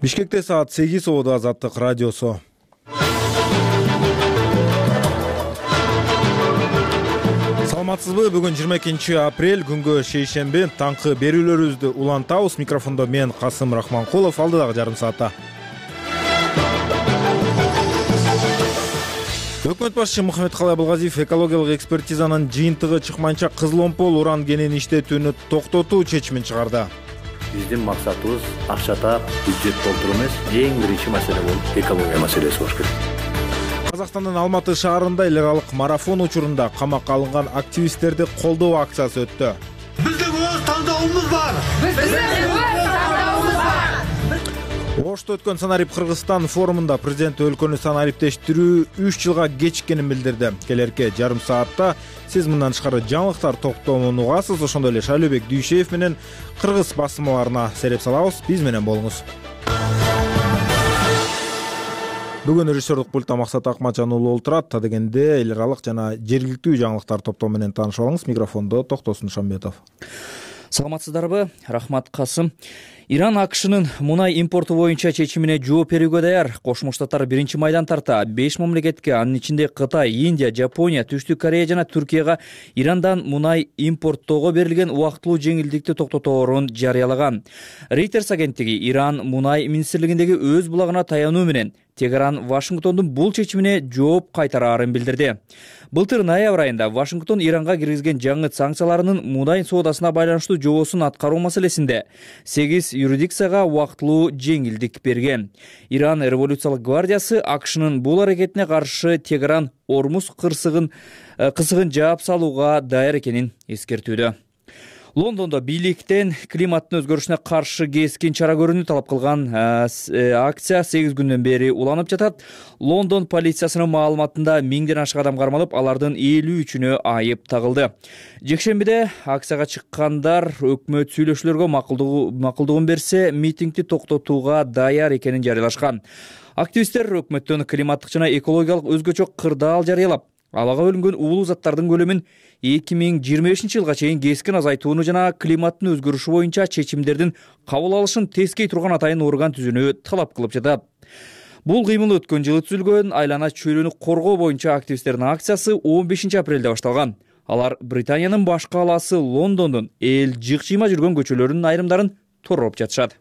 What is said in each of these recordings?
Бишкекте саат 8 Оодо Азаттык радиосу. Саламатсызбы? Бүгүн 22 апрель, күнгө шейшемби. Таңкы берүүлөрүбүздү улантабыз. Микрофондо мен Касым Рахманкулов. Алдыдагы жарым саатта Өкмөт башчысы Мухаммедкалый Абылгазиев экологиялык экспертизанын жыйынтыгы чыкмайынча кызыл омпол уран кенин иштетүүнү токтотуу чечимин чыгарды. Биздин максатыбыз акча таап, бюджет толтуруу эмес, эң биринчи маселе болуп экология маселеси болуш керек. Казакстандын Алматы шаарында эл аралык марафон учурунда камакка алынган активисттерди колдоо акциясы өттү. Биздин өз тандообуз бар. Ошто өткөн Санарип Кыргызстан форумунда президент өлкөнү санариптештирүү 3 жылга кечиккенин билдирди. Келерки жарым саатта сиз мындан тышкары жаңылыктар токтомун угасыз. Ошондой эле Шайлообек Дүйшеев менен кыргыз басмаларына сереп салабыз. Биз менен болуңуз. Бүгүн режиссерлук пультта Максат Акматжан уулу олтурат. Та дегенде эл аралык жана жергиликтүү жаңылыктар топтому менен таанышып алыңыз. Микрофондо Токтосун Шамбетов. Саламатсыздарбы? Рахмат, Касым. Иран АКШнын мунай импорту боюнча чечимине жооп берүүгө даяр. Кошмо Штаттар биринчи майдан тарта 5 мамлекетке, анын ичинде Кытай, Индия, Жапония, Түштүк Корея жана Түркияга Ирандан мунай импорттоого берилген убактылуу жеңилдикти токтоторун жарыялаган. Reuters агенттиги Иран мунай министрлигиндеги өз булагына таянуу менен Тегеран Вашингтондун бул чечимине жооп кайтараарын билдирди. Былтыр ноябрь айында Вашингтон Иранга киргизген жаңы санкцияларынын мунай соодасына байланыштуу жобосун аткаруу маселесинде 8 юрисдикцияга убактылуу жеңилдик берген. Иран революциялык гвардиясы АКШнын бул аракетине каршы Тегеран Ормуз кысыгын жаап салууга даяр экенин эскертүүдө. Лондондо бийликтен климаттын өзгөрүшүнө каршы кескин чара көрүүнү талап кылган акция 8 күндөн бери уланып жатат. Лондон полициясынын маалыматында 1000ден ашык адам кармалып, алардын 53-үнө айып тагылды. Жекшембиде акцияга чыккандар өкмөт сүйлөшүүлөргө макулдугун берсе, митингди токтотууга даяр экенин жарыялашкан. Активисттер өкмөттөн климаттык жана экологиялык өзгөчө кырдаал жарыялап, абага бөлүнгөн уулуу заттардын көлөмүн 2025 жылга чейин кескин азайтууну жана климаттын өзгөрүшү боюнча чечимдердин кабыл алышын тескей турган атайын орган түзүүнү талап кылып жатат. Бул кыймыл өткөн жылы түзүлгөн айлана чөйрөнү коргоо боюнча активисттердин акциясы 15 апрелде башталган. Алар Британиянын баш калаасы Лондондун эл жык-жыйма жүргөн көчөлөрүнүн айрымдарын тоороп жатышат.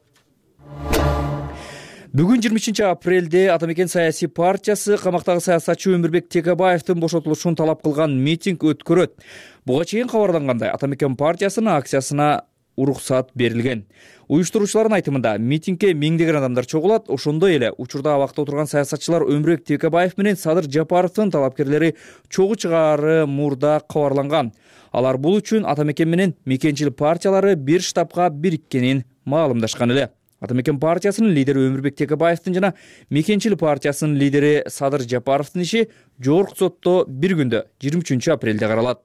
Бүгүн 23 апрелде Атамекен саясий партиясы камактагы саясатчы Өмүрбек Текебаевдин бошотулушун талап кылган митинг өткөрөт. Буга чейин кабарлангандай, Атамекен партиясынын акциясына уруксат берилген. Уюштуруучулардын айтымында митингге 1000деген адамдар чогулат. Ошондой эле учурда абакта отурган саясатчылар Өмүрбек Текебаев менен Садыр Жапаровдун талапкерлери чогуу чыгаары мурда кабарланган. Алар бул үчүн Атамекен менен мекенчил партиялары бир штабка бириккенин маалымдашкан эле. Атамекен партиясынын лидери Өмүрбек Текебаевдин жана мекенчил партиясынын лидери Садыр Жапаровдун иши жогорку сотто бир күндө 23 апрелде каралат.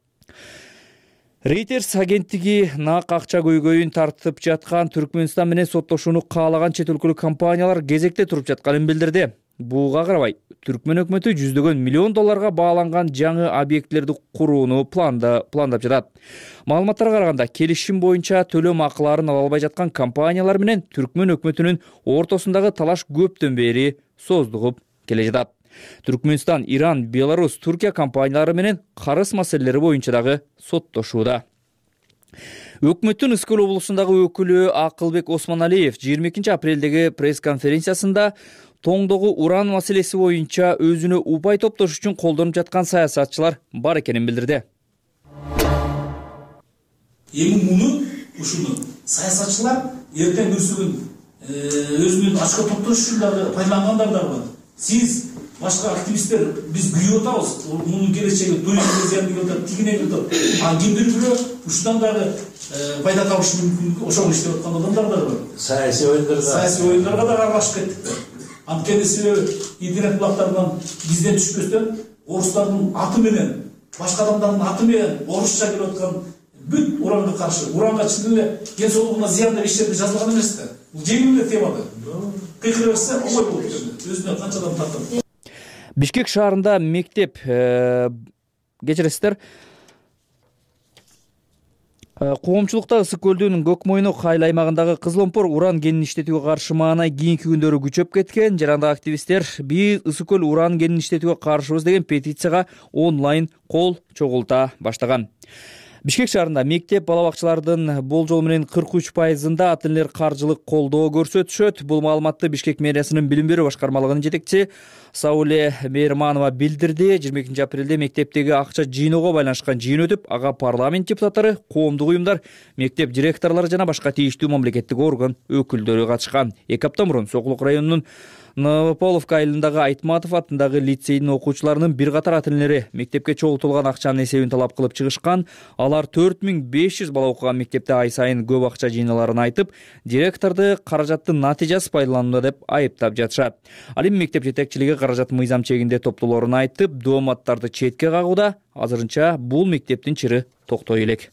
Reuters агенттиги нак акча көйгөйүн тартып жаткан Түркмөнстан менен соттошууну каалаган чет өлкөлүк компаниялар кезекте туруп жатканын билдирди. Буга карабай, Түркмөн өкмөтү $100 миллион бааланган жаңы объектилерди курууну пландап жатат. Маалыматтарга караганда, келишим боюнча төлөм акыларын ала албай жаткан компаниялар менен Түркмөн өкмөтүнүн ортосундагы талаш көптөн бери создугуп келе жатат. Түркмөнстан, Иран, Беларусь, Түркия компаниялары менен карыз маселелери боюнча дагы соттошууда. Өкмөттүн Ыскөл облусундагы өкүлү Акылбек Осмоналиев 22 апрелдеги пресс-конференциясында тоңдогу уран маселеси боюнча өзүнө упай топтош үчүн колдонуп жаткан саясатчылар бар экенин билдирди. Эми муну ушуну саясатчылар эртең күрсүгүн өзүнүн ачка топтош үчүн дагы пайдалангандар да бар. Сиз башка активисттер биз күйүп атабыз. Мунун келечеги туризмге зыян келип, тигине келип, а кимдир бирөө ушундан дагы пайда табыш мүмкүн ошол иштеп аткан адамдар да бар. Саясий оюндарга да аралашып кеттик. Анткени себеби интернет булактарынан бизден түшпөстөн орустардын аты менен, башка адамдардын аты менен орусча келип аткан бүт уранга каршы, уранга чын эле ден соолугуна зыяндуу иштерди жазылган эмес да. Бул жеңил эле тема да. Кыйкыра берсе оңой болуп кетет. Өзүнө канча адам тартат. Бишкек шаарында мектеп кечиресиздер. Коомчулукта Ысык көлдүн Көкмойнок айыл аймагындагы Кызыломпор уран кенин иштетүүгө каршы маанай кийинки күндөрү күчөп кеткен. Жарандагы активисттер биз Ысык көл уран кенин иштетүүгө каршыбыз деген петицияга онлайн кол чогулта баштаган. Бишкек шаарында мектеп бала бакчалардын болжол менен 43%-ында ата-энелер каржылык колдоо көрсөтүшөт. Бул маалыматты Бишкек мэриясынын билим берүү башкармалыгынын жетекчиси Сауле Мейерманова билдирди. 22 апрелде мектептеги акча жыйноого байланышкан жыйын өтүп, ага парламент депутаттары, коомдук уюмдар, мектеп директорлору жана башка тийиштүү мамлекеттик орган өкүлдөрү катышкан. 2 апта мурун Сокулук районунун Новополовка айылындагы Айтматов атындагы лицейдин окуучуларынын бир катар ата-энелери мектепке чогултулган акчанын эсебин талап кылып чыгышкан. Алар 4500 бала окуган мектепте ай сайын көп акча жыйналарын айтып, директорду каражаттын натыйжасыз пайдаланууда деп айыптап жатышат. Ал эми мектеп жетекчилиги каражат мыйзам чегинде топтоолорун айтып, дооматтарды четке кагууда. Азырынча бул мектептин чыры токтой элек.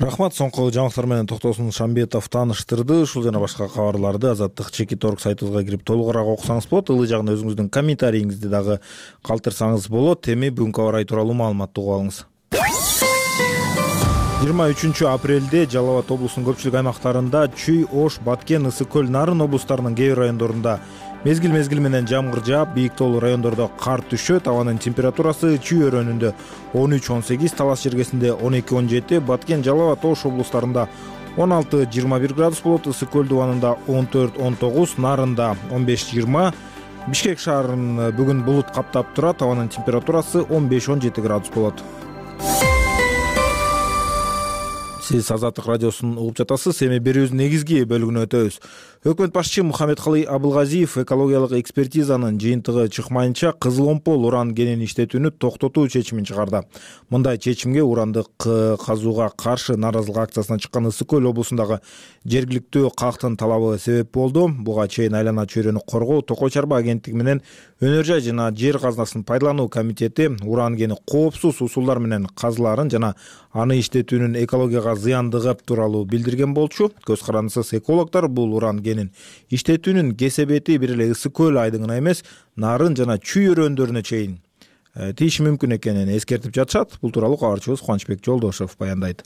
Рахмат. Соңку жаңылыктар менен Токтосун Шамбетов тааныштырды. Ушул жана башка кабарларды Азаттык Чекит.орг сайтыбызга кирип толугураак окусаңыз болот. Ылый жагында өзүңүздүн комментарийиңизди дагы калтырсаңыз болот. Эми бүгүнкү аба ырайы тууралуу маалыматты угуп алыңыз. 23 апрелде Жалал Абад облусунун көпчүлүк аймактарында Чүй, Ош, Баткен, Ысык көл, Нарын облустарынын кээ бир райондорунда мезгил менен жамгыр жаап, бийик тоолуу райондордо кар түшөт. Абанын температурасы Чүй өрөөнүндө 13-18, Талас жергесинде 12-17, Баткен, Жалал Абад, Ош облустарында 16-21 градус болот. Ысык көл дубанында 14-19, Нарында 15-20. Бишкек шаарын бүгүн булут каптап турат. Абанын температурасы 15-17 градус болот. Сиз Азаттык радиосун угуп жатасыз. Эми берүүбүздүн негизги бөлүгүнө өтөбүз. Өкмөт башчы Мухаммедкалый Абылгазиев экологиялык экспертизанын жыйынтыгы чыкмайынча Кызыломпол уран кенин иштетүүнү токтотуу чечимин чыгарды. Мындай чечимге урандык казууга каршы нааразылык акциясына чыккан Ысык көл облусундагы жергиликтүү калктын талабы себеп болду. Буга чейин айлана чөйрөнү коргоо, Токой Чарба агенттиги менен Өнөр жай жана жер казынасын пайдалануу комитети уран кени коопсуз усулдар менен казылаарын жана аны иштетүүнүн экологияга зыяндыгы тууралуу билдирген болчу. Көз карандысыз экологдор бул уран кенин иштетүүнүн кесебети бир эле Ысык көл айдыңына эмес, Нарын жана Чүй өрөөндөрүнө чейин тийиши мүмкүн экенин эскертип жатышат. Бул тууралуу кабарчыбыз Кубанычбек Жолдошев баяндайт.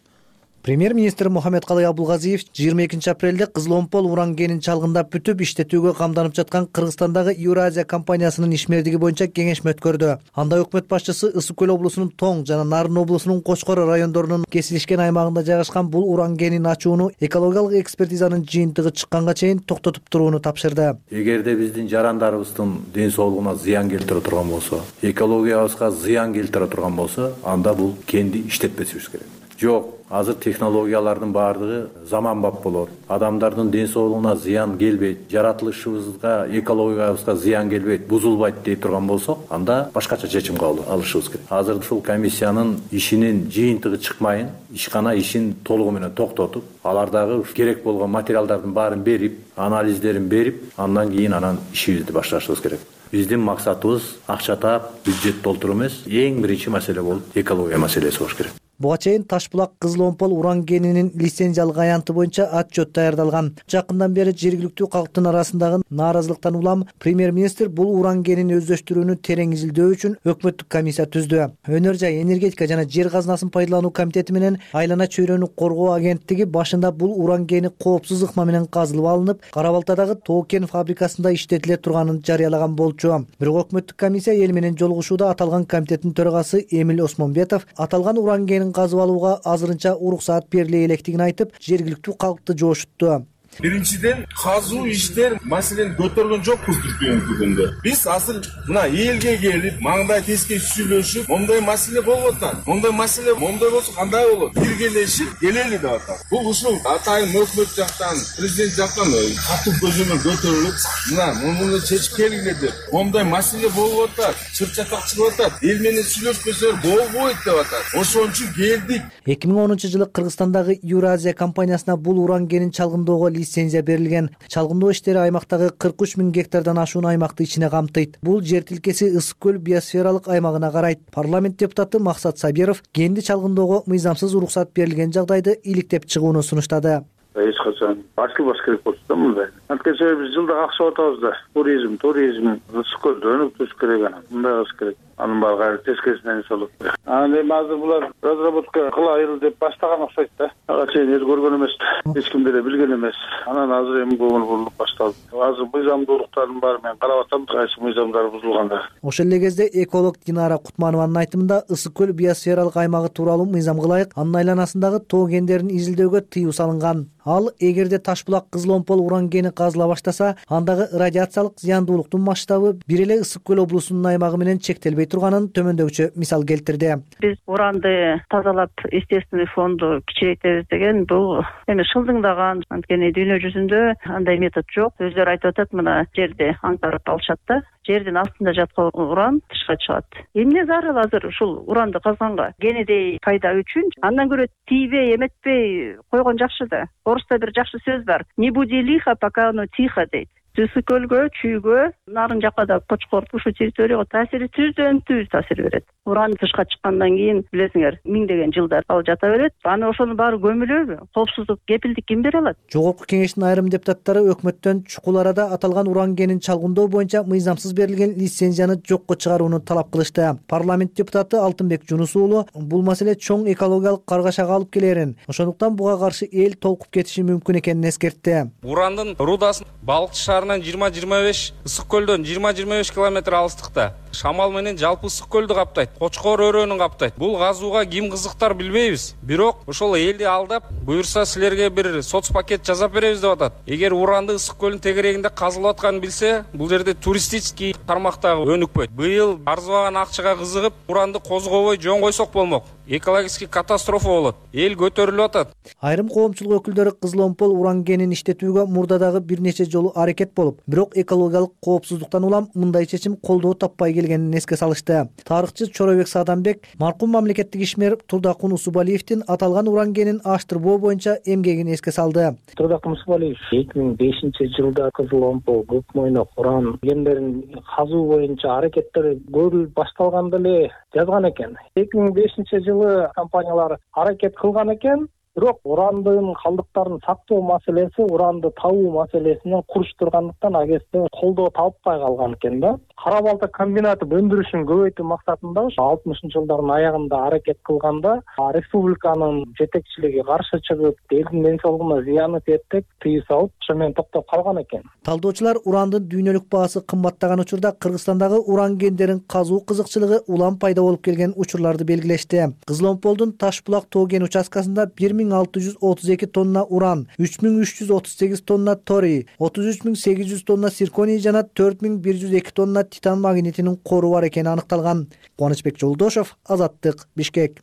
Премьер-министр Мухаммедкалый Абылгазиев 22 апрелде Кызыломпол уран кенин чалгындап бүтүп иштетүүгө камданып жаткан Кыргызстандагы Евразия компаниясынын ишмердиги боюнча кеңешме өткөрдү. Анда өкмөт башчысы Ысык көл облусунун Тоң жана Нарын облусунун Кочкор райондорунун кесилишкен аймагында жайгашкан бул уран кенин ачууну экологиялык экспертизанын жыйынтыгы чыкканга чейин токтотуп турууну тапшырды. Эгерде биздин жарандарыбыздын ден соолугуна зыян келтире турган болсо, экологиябызга зыян келтире турган болсо, анда бул кенди иштетпесибиз керек. Жок, азыр технологиялардын баардыгы заманбап болот. Адамдардын ден соолугуна зыян келбейт, жаратылышыбызга, экологиябызга зыян келбейт, бузулбайт дей турган болсок, анда башкача чечим алышыбыз керек. Азыр ушул комиссиянын ишинин жыйынтыгы чыкмайын, ишкана ишин толугу менен токтотуп, алардагы керек болгон материалдардын баарын берип, анализдерин берип, андан кийин ишибизди башташыбыз керек. Биздин максатыбыз акча таап, бюджет толтуруу эмес, эң биринчи маселе болуп экология маселеси болуш керек. Буга чейин Ташбулак Кызыломпол уран кенинин лицензиялык аянты боюнча отчет даярдалган. Жакындан бери жергиликтүү калктын арасындагы нааразылыктан улам премьер-министр бул уран кенин өздөштүрүүнү терең изилдөө үчүн өкмөттүк комиссия түздү. Өнөр жай энергетика жана жер казынасын пайдалануу комитети менен айлана чөйрөнү коргоо агенттиги башында бул уран кени коопсуз ыкма менен казылып алынып, Кара Балтадагы Тоо кен фабрикасында иштетиле турганын жарыялаган болчу. Бирок өкмөттүк комиссия эл менен жолугушууда аталган комитеттин төрагасы Эмил Осмонбетов аталган уран кенин казып алууга азырынча уруксаат бериле электигин айтып, жергиликтүү калкты жоошутту. Биринчиден, казуу иштер маселени көтөргөн жокпуз бүгүнкү күндө. Биз азыр мына элге келип, маңдай теске сүйлөшүп, момдай маселе болуп атат. Момдай маселе момдай болсо кандай болот? Биргелешип келели деп атат. Бул ушул атайын өкмөт жактан, президент жактан катуу көзөмөл көтөрүлүп, мына муну чечип келгиле деп. Момдай маселе болуп атат, чыр-чатак чыгып атат. Эл менен сүйлөшпөсөр болбойт деп атат. Ошон үчүн келдик. 2010-жылы Кыргызстандагы Евразия компаниясына бул уран кенин чалгындоого лицензия берилген. Чалгындоо иштери аймактагы 43 000 гектардан ашуун аймакты ичине камтыйт. Бул жер тилкеси Ысык көл биосфералык аймагына карайт. Парламент депутаты Максат Сабиров кенди чалгындоого мыйзамсыз уруксат берилген жагдайды иликтеп чыгууну сунуштады. эч качан ачылбаш керек болчу да мындай. Анткени биз жылда акча атабыз да. Туризм ысык көлдө өнүктүрүш керек анан. Мындай кылыш керек. Анын баары кайра тескерисинен эс алат. Анан эми азыр булар разработка кылайын деп баштаган окшойт да. Ага чейин эч көргөн эмес, эч ким деле билген эмес. Анан азыр эми көңүл бурулуп башталды. Азыр мыйзамдуулуктардын баары менен карап атам, кайсы мыйзамдар бузулганда. Ошол эле кезде эколог Динара Кутманованын айтымында ысык көл биосфералык аймагы тууралуу мыйзамга ылайык анын айланасындагы тоо кендерин изилдөөгө тыюу салынган. Ал эгерде Таш-булак Кызыл-Омпол уран кени казыла баштаса, андагы радиациялык зыяндуулуктун масштабы бир эле ысык көл облусунун аймагы менен чектелбей турганын төмөндөгүчө мисал келтирди. Биз уранды тазалап естественный фонду кичирейтебиз деген бул эми шылдыңдаган, анткени дүйнө жүзүндө андай метод жок. Өздөрү айтып атат, мына жерди аңтарып алышат да. Жердин астында жаткан уран тышка чыгат. Эмне зарыл азыр ушул уранды казганга? Кенедей пайда үчүн андан көрө тийбей, эметпей койгон жакшы да. Орусда бир жакшы сөз бар. Не буди лихо, пока оно тихо дейт. Ысык көлгө, чүйгө, нарын жакка да Кочкор ушул территорияга таасири түздөн түз таасир берет. Уран тышка чыккандан кийин билесиңер, миңдеген жылдар ал жата берет. Аны ошонун баары көмүлөбү? Коопсуздук, кепилдик ким бере алат? Жогорку кеңештин айрым депутаттары өкмөттөн чукул арада аталган уран кенин чалгындоо боюнча мыйзамсыз берилген лицензияны жокко чыгарууну талап кылышты. Парламент депутаты Алтынбек Жунус уулу бул маселе чоң экологиялык каргашага алып келерин, ошондуктан буга каршы эл толкуп кетиши мүмкүн экенин эскертти. Урандын рудасын Балыкчы шаарынан 20-25, ысык көлдөн 20-25 километр алыстыкта. Шамал менен жалпы ысык көлдү каптайт, Кочкор өрөөнүн каптайт. Бул казууга ким кызыктар билбейбиз. Бирок ошол элди алдап, буюрса силерге бир соцпакет жасап беребиз деп атат. Эгер уранды ысык көлдүн тегерегинде казылып атканын билсе, бул жерде туристический тармактагы өнүкпөйт. Быйыл арзыбаган акчага кызыгып, уранды козгобой жөн койсок болмок. Экологический катастрофа болот. Эл көтөрүлүп атат. Айрым коомчулук өкүлдөрү Кызыл-Омпол уран кенин иштетүүгө мурдадагы бир нече жолу аракет болуп, бирок экологиялык коопсуздуктан улам мындай чечим колдоо таппай келгенин эске салышты. Тарыхчы Чоробек Саадамбек маркум мамлекеттик ишмер Турдакун Усубалиевдин аталган уран кенин аштырбоо боюнча эмгегин эске салды. Турдакун Усубалиев 2005-жылда Кызыл-Омпол көк мойнок уран кендерин казуу боюнча аракеттер көрүлүп башталганда эле жазган экен. 2005-жылы компаниялар аракет кылган экен. Бирок урандын калдыктарын сактоо маселеси, уранды табуу маселесинен курч тургандыктан агесте колдоо табылбай калган экен да. Кара балта комбинаты өндүрүшүн көбөйтүү максатында 60-жылдардын аягында аракет кылганда республиканын жетекчилиги каршы чыгып, элдин ден соолугуна зыяны тиет деп тыюу салып, ошо менен токтоп калган экен. Талдоочулар урандын дүйнөлүк баасы кымбаттаган учурда Кыргызстандагы уран кендерин казуу кызыкчылыгы улам пайда болуп келген учурларды белгилешти. Кызыл-Омполдун Таш-булак тоо кен участкасында 1632 тонна уран, 3338 тонна торий, 33800 тонна цирконий жана 4102 тонна титан магнитинин кору бар экени аныкталган. Кубанычбек Жолдошов, Азаттык, Бишкек.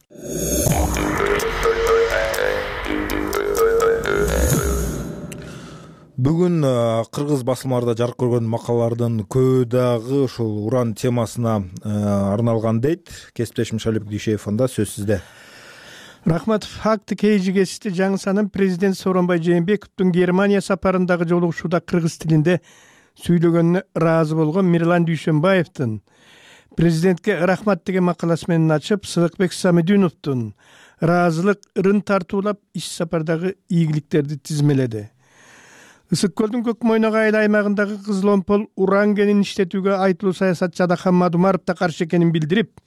Бүгүн кыргыз басылмаларда жарык көргөн макалалардын көбү дагы ушул уран темасына арналган дейт. Кесиптешим Шалип Дүйшеев анда сөз сизде. Рахматов, факты KGG'сте жаңы санын президент Сооронбай Жээнбековдун Германия сапарындагы жолугушууда кыргыз тилинде сүйлөгөнүнө ыраазы болгон Мирлан Дүйшөнбаевдин президентке рахмат деген макаласы менен ачып, Сыдыкбек Самидиновдун ыраазылык ырын тартуулап иш сапардагы ийгиликтерди тизмеледи. Ысык көлдүн көк мойнок айыл аймагындагы Кызыл-Омпол уран кенин иштетүүгө айтылуу саясатчы Адакхан Мадумаров да каршы экенин билдирип,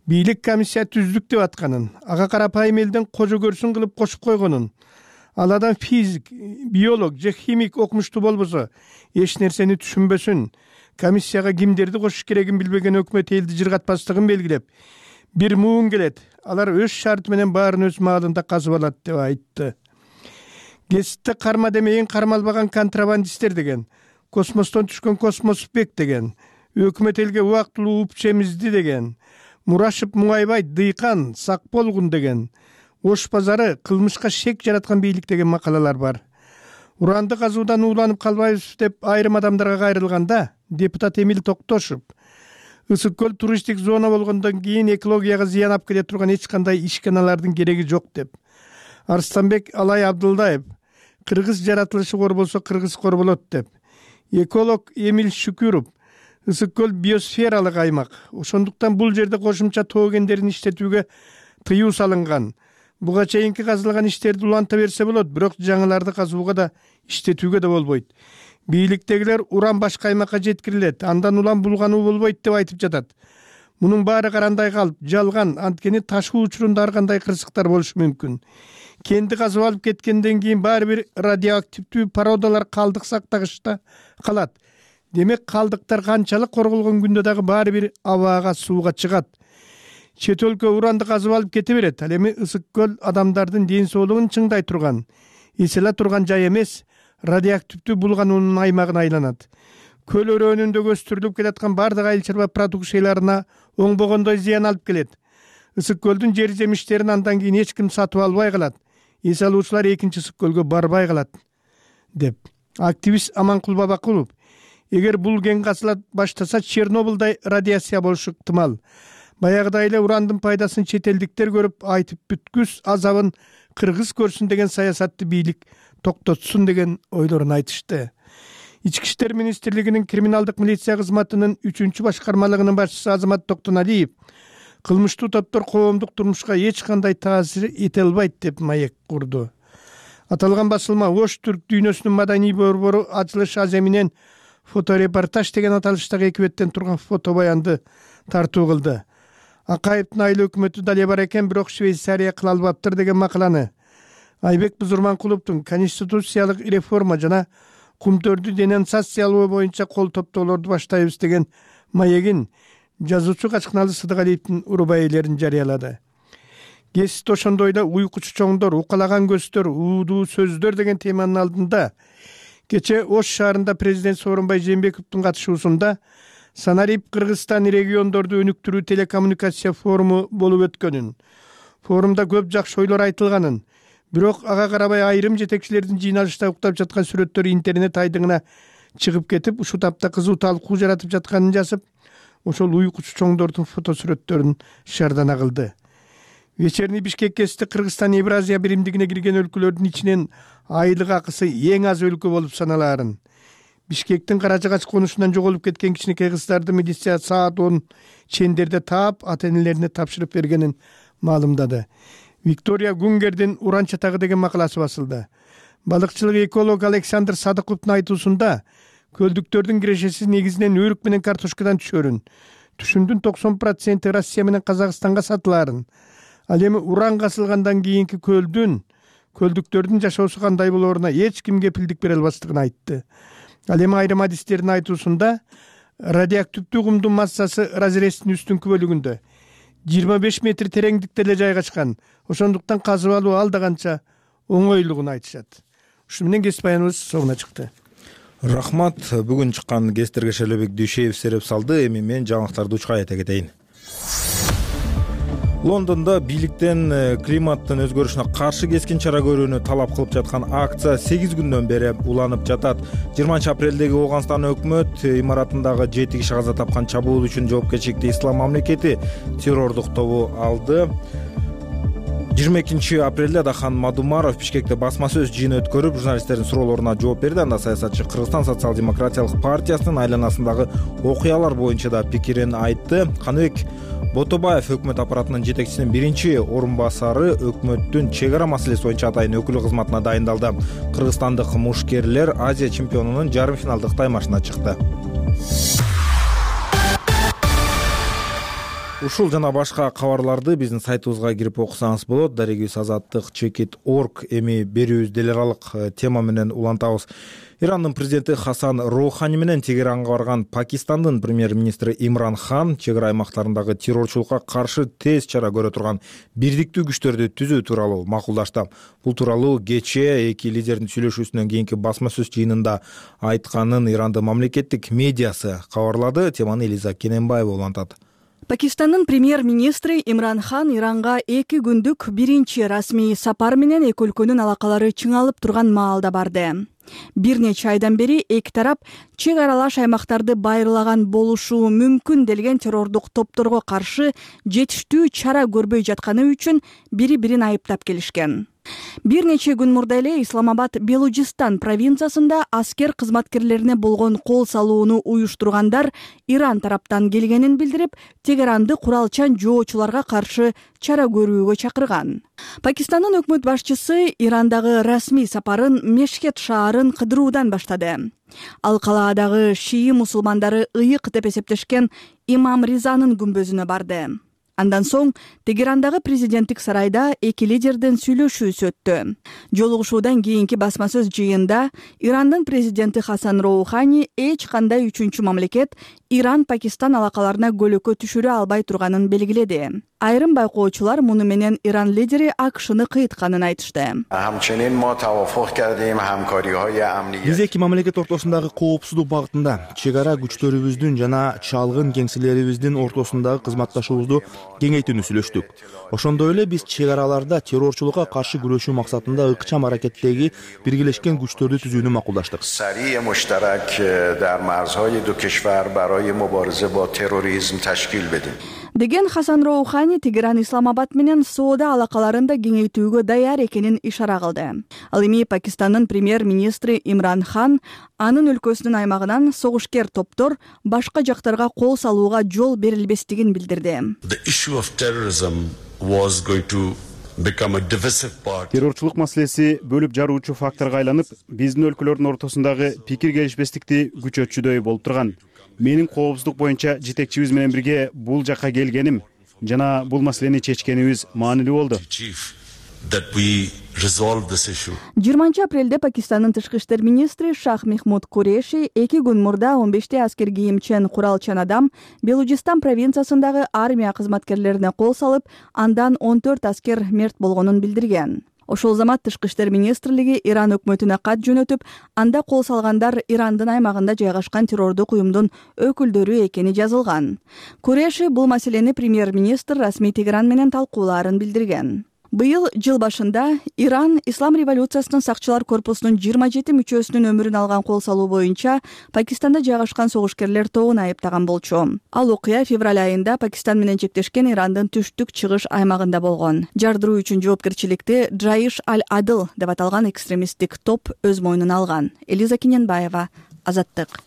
бийлик комиссия түздүк деп атканын, ага карапайым элдин кожо көрсүн кылып кошуп койгонун, ал адам физик, биолог же химик окумуштуу болбосо эч нерсени түшүнбөсүн, комиссияга кимдерди кошуш керегин билбеген өкмөт элди жыргатпастыгын белгилеп, бир муун келет, алар өз шарты менен баарын өз маалында казып алат деп айтты. Кесипте карма демейин кармалбаган контрабандисттер деген, космостон түшкөн космосбек деген, өкмөт элге убактылуу уп чемизди деген, Мурашып Муңайбай дыйкан, сак болгун деген, Ош базары кылмышка шек жараткан бийлик деген макалалар бар. Уранды казуудан ууланып калбайбыз деп айрым адамдарга кайрылганда, депутат Эмил Токтошов ысык көл туристтик зона болгондон кийин экологияга зыян алып келе турган эч кандай ишканалардын кереги жок деп. Арстанбек Алай Абдылдаев кыргыз жаратылышы кор болсо кыргыз кор болот деп. Эколог Эмил Шүкүров ысык көл биосфералык аймак. Ошондуктан бул жерде кошумча тоо кендерин иштетүүгө тыюу салынган. буга чейинки казылган иштерди уланта берсе болот, бирок жаңыларды казууга да иштетүүгө да болбойт. Бийликтегилер уран башка аймакка жеткирилет, андан улам булгануу болбойт деп айтып жатат. Мунун баары карандай калп, жалган, анткени ташуу учурунда ар кандай кырсыктар болушу мүмкүн. Кенди казып алып кеткенден кийин баары бир радиоактивдүү породалар калдык сактагычта калат. Демек калдыктар канчалык корголгон күндө дагы баары бир абага, сууга чыгат. Чет өлкө уранды казып алып кете берет. Ал эми Ысык көл адамдардын ден соолугун чыңдай турган, эселе турган жай эмес, радиоактивдүү булгануунун аймагына айланат. Көл өрөөнүндө өстүрүлүп келаткан бардык айыл чарба продукцияларына оңбогондой зыян алып келет. Ысык көлдүн жер жемиштерин андан кийин эч ким сатып албай калат. Эс алуучулар экинчи Ысык көлгө барбай калат, деп. Активист Аманкул Бабакулов: эгер бул кен казыла баштаса, Чернобылдай радиация болушу ыктымал. Баягыдай эле урандын пайдасын чет элдиктер көрүп, айтып бүткүс азабын кыргыз көрсүн деген саясатты бийлик токтотсун деген ойлорун айтышты. Ички иштер министрлигинин криминалдык милиция кызматынын 3-чү башкармалыгынын башчысы Азамат Токтоналиев кылмыштуу топтор коомдук турмушка эч кандай таасир эте албайт деп маек курду. Аталган басылма Ош түрк дүйнөсүнүн маданий борбору Ачылыш Аземинен фоторепортаж деген аталыштагы 2 беттен турган фото баянды тартуу кылды. Акаевдин айыл өкмөтү дале бар экен, бирок Швейцария кыла албаптыр деген макаланы Айбек Бузурманкуловдун конституциялык реформа жана кумтөрдү денонсациялоо боюнча кол топтоолорду баштайбыз деген маегин жазуучу Качкыналы Сыдыгалиевдин урубай-элерин жарыялады. Гезит ошондой эле уйкучу чоңдор, укалаган көздөр, уудуу сөздөр деген теманын алдында кече Ош шаарында президент Сооронбай Жээнбековдун катышуусунда Санарип Кыргызстан региондорду өнүктүрүү телекоммуникация форуму болуп өткөнүн, форумда көп жакшы ойлор айтылганын, бирок ага карабай айрым жетекчилердин жыйналышта уктап жаткан сүрөттөрү интернет айдыңына чыгып кетип, ушул тапта кызуу талкуу жаратып жатканын жазып, ошол уйкучу чоңдордун фото сүрөттөрүн шаардана кылды. Вечерний Бишкек гезити Кыргызстан Евразия биримдигине кирген өлкөлөрдүн ичинен айлык акысы эң аз өлкө болуп саналаарын, Бишкектин Карачагач конушунан жоголуп кеткен кичинекей кыздарды милиция саат 10 чендерде таап, ата-энелерине тапшырып бергенин маалымдады. Виктория Гунгердин Уран чатагы деген макаласы басылды. Балыкчылык эколог Александр Садыковдун айтуусунда көлдүктөрдүн кирешеси негизинен өрүк менен картошкадан түшөрүн. Түшүмдүн 90% Россия менен Казакстанга сатылаарын. Ал эми уран касылгандан кийинки көлдүктөрдүн жашоосу кандай болооруна эч ким кепилдик бере албастыгын айтты. Ал эми айрым адистердин айтуусунда радиоактивдүү кумдун массасы разрезтин үстүнкү бөлүгүндө 25 метр тереңдикте эле жайгашкан. Ошондуктан казып алуу алда канча оңойлугун айтышат. Ушу менен кесип баяныбыз соңуна чыкты. Рахмат. Бүгүн чыккан кесиптерге Шелебек Дүйшеев сереп салды. Эми мен жаңылыктарды учка айта кетейин. Лондондо бийликтен климаттын өзгөрүшүнө каршы кескин чара көрүүнү талап кылып жаткан акция 8 күндөн бери уланып жатат. 20 апрелдеги Ооганстан өкмөт имаратындагы 7 киши каза тапкан чабуул үчүн жоопкерчиликти Ислам мамлекети террордук тобу алды. 22 апрелде Дахан Мадумаров Бишкекте басма сөз жыйыны өткөрүп, журналисттердин суроолоруна жооп берди. Анда саясатчы Кыргызстан социал-демократиялык партиясынын айланасындагы окуялар боюнча да пикирин айтты. Каныбек Ботобаев өкмөт аппаратынын жетекчисинин биринчи орун басары өкмөттүн чек ара маселеси боюнча атайын өкүлү кызматына дайындалды. Кыргызстандык мушкерлер Азия чемпионунун жарым финалдык таймашына чыкты. Ушул жана башка кабарларды биздин сайтыбызга кирип окусаңыз болот. Дарегибиз Азаттык.org эми берүүбүз эл аралык тема менен улантабыз. Ирандын президенти Хасан Роухани менен Тегеранга барган Пакистандын премьер-министри Имран Хан чек ара аймактарындагы террорчулукка каршы тез чара көрө турган бирдиктүү күчтөрдү түзүү тууралуу макулдашты. Бул тууралуу кечээ эки лидердин сүйлөшүүсүнөн кийинки басма сөз жыйынында айтканын Ирандын мамлекеттик медиасы кабарлады. Теманы Элиза Кененбаева улантат. Пакистандын премьер-министри Имран Хан Иранга 2 күндүк биринчи расмий сапар менен эки өлкөнүн алакалары чыңалып турган маалда барды. Бир нече айдан бери эки тарап чек аралаш аймактарды байырлаган болушу мүмкүн делген террордук топторго каршы жетиштүү чара көрбөй жатканы үчүн бири-бирин айыптап келишкен. Бир нече күн мурда эле Исламабад Белужистан провинциясында аскер кызматкерлерине болгон кол салууну уюштургандар Иран тараптан келгенин билдирип, Тегеранды куралчан жоочуларга каршы чара көрүүгө чакырган. Пакистандын өкмөт башчысы Ирандагы расмий сапарын Мешхет шаарын кыдыруудан баштады. Ал калаадагы шии мусулмандары ыйык деп эсептешкен Имам Ризанын күмбөзүнө барды. Андан соң Тегерандагы президенттик сарайда эки лидердин сүйлөшүүсү өттү. Жолугушуудан кийинки басма сөз жыйында Ирандын президенти Хасан Роухани эч кандай үчүнчү мамлекет Иран-Пакистан алакаларына көлөкө түшүрө албай турганын белгиледи. Айрым байкоочулар муну менен Иран лидери АКШны кыйтканын айтышты. Биз эки мамлекет ортосундагы коопсуздук багытында чек ара күчтөрүбүздүн жана чалгын кеңселерибиздин ортосундагы кызматташуубузду кеңейтүүнү сүйлөштүк. Ошондой эле биз чек араларда террорчулукка каршы күрөшүү максатында ыкчам аракеттеги биргелешкен күчтөрдү түзүүнү макулдаштык. Деген Хасан Роухани Тегеран Исламабад менен соода алакаларын да кеңейтүүгө даяр экенин ишара кылды. Ал эми Пакистандын премьер-министри Имран Хан анын өлкөсүнүн аймагынан согушкер топтор башка жактарга кол салууга жол берилбестигин билдирди. Террорчулук маселеси бөлүп жаруучу факторго айланып, биздин өлкөлөрдүн ортосундагы пикир келишпестикти күчөтчүдөй болуп турган. Менин коопсуздук боюнча жетекчибиз менен бирге бул жакка келгеним жана бул маселени чечкенибиз маанилүү болду. 20 апрелде Пакистандын тышкы иштер министри Шах Мехмуд Куреши 2 күн мурда 15 аскер кийимчен куралчан адам Белужистан провинциясындагы армия кызматкерлерине кол салып, андан 14 аскер мерт болгонун билдирген. Ошол замат тышкы иштер министрлиги Иран өкмөтүнө кат жөнөтүп, анда кол салгандар Ирандын аймагында жайгашкан террордук уюмдун өкүлдөрү экени жазылган. Куреши бул маселени премьер-министр расмий Тегеран менен талкуулаарын билдирген. Быйыл жыл башында Иран Ислам революциясынын сакчылар корпусунун 27 мүчөсүнүн өмүрүн алган кол салуу боюнча Пакистанда жайгашкан согушкерлер тобун айыптаган болчу. Ал окуя февраль айында Пакистан менен чектешкен Ирандын түштүк чыгыш аймагында болгон. Жардыруу үчүн жоопкерчиликти Джаиш аль-Адл деп аталган экстремисттик топ өз мойнуна алган. Элиза Киненбаева, Азаттык.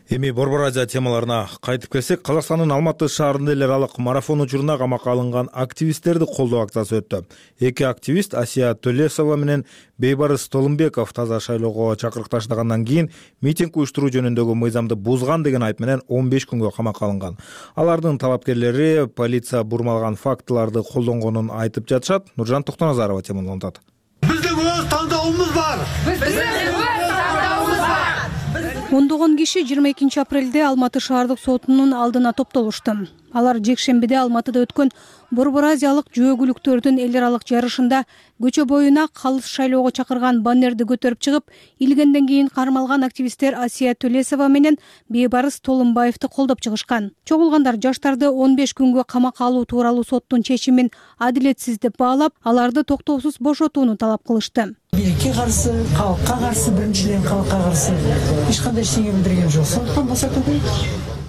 Эми Борбор Азия темаларына кайтып келсек, Казакстандын Алматы шаарында эл аралык марафон учуруна камакка алынган активисттерди колдоо акциясы өттү. Эки активист Асия Төлесова менен Бейбарыс Толумбеков таза шайлоого чакырыкташтагандан кийин митинг уюштуруу жөнүндөгү мыйзамды бузган деген айып менен 15 күнгө камакка алынган. Алардын талапкерлери полиция бурмалган фактыларды колдонгонун айтып жатышат. Нуржан Токтоназарова теманы улантат. Биздин өз тандообуз бар. Ондогон киши 22 апрелде Алматы шаардык сотунун алдына топтолушту. Алар жекшембиде Алматыда өткөн Борбор Азиялык жөөгүлүктөрдүн эл аралык жарышында көчө боюна калыс шайлоого чакырган баннерди көтөрүп чыгып, илгенден кийин кармалган активисттер Асия Төлесова менен Бейбарыс Толумбаевди колдоп чыгышкан. Чогулгандар жаштарды 15 күнгө камакка алуу тууралуу соттун чечимин адилетсиз деп баалап, аларды токтоосуз бошотууну талап кылышты. Бирке каршы, калкка каршы, биринчиден калкка каршы эч кандай эчтеке билдирген жок. Сондуктан бошотуу керек.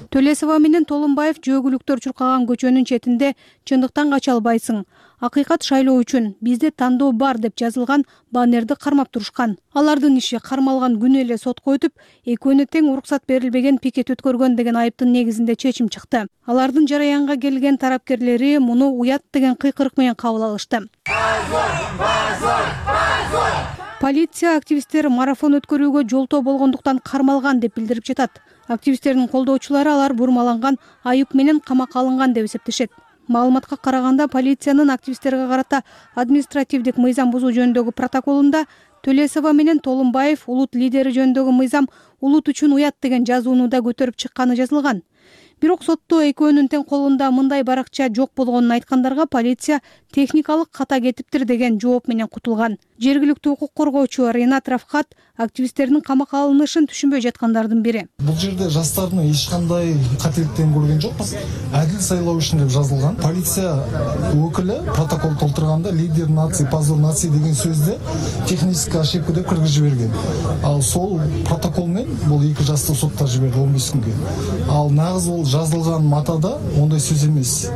Төлесова менен Толумбаев жөөгүлүктөр чуркаган көчөнүн четинде чындыктан кача албайсың. Акыйкат шайлоо үчүн бизде тандоо бар деп жазылган баннерди кармап турушкан. Алардын иши кармалган күнү эле сотко өтүп, экөөнө тең уруксат берилбеген пикет өткөргөн деген айыптын негизинде чечим чыкты. Алардын жараянга келген тарапкерлери муну уят деген кыйкырык менен кабыл алышты. Полиция активисттер марафон өткөрүүгө жолтоо болгондуктан кармалган деп билдирип жатат. Активисттердин колдоочулары алар бурмаланган, айып менен камакка алынган деп эсептешет. Маалыматка караганда, полициянын активисттерге карата административдик мыйзам бузуу жөнүндөгү протоколунда Төлесова менен Толумбаев улут лидери жөнүндөгү мыйзам улут үчүн уят деген жазууну да көтөрүп чыкканы жазылган. Бирок сотто экөөнүн тең колунда мындай баракча жок болгонун айткандарга полиция техникалык ката кетиптир деген жооп менен кутулган. Жергиликтүү укук коргоочу Ренат Рафхат активисттердин камакка алынышын түшүнбөй жаткандардын бири. Бул жерде жастардын эч кандай кателиктен көргөн жокпуз. Адил сайлоо үчүн деп жазылган. Полиция өкүлү протокол толтурганда лидер нации, позор нации деген сөздө технический ошибка деп кыргызып жиберген. Ал сол протокол менен бул эки жасты соттоп жиберди 15 күнгө. Ал нагыз бул жазылган матада ондай сөз эмес.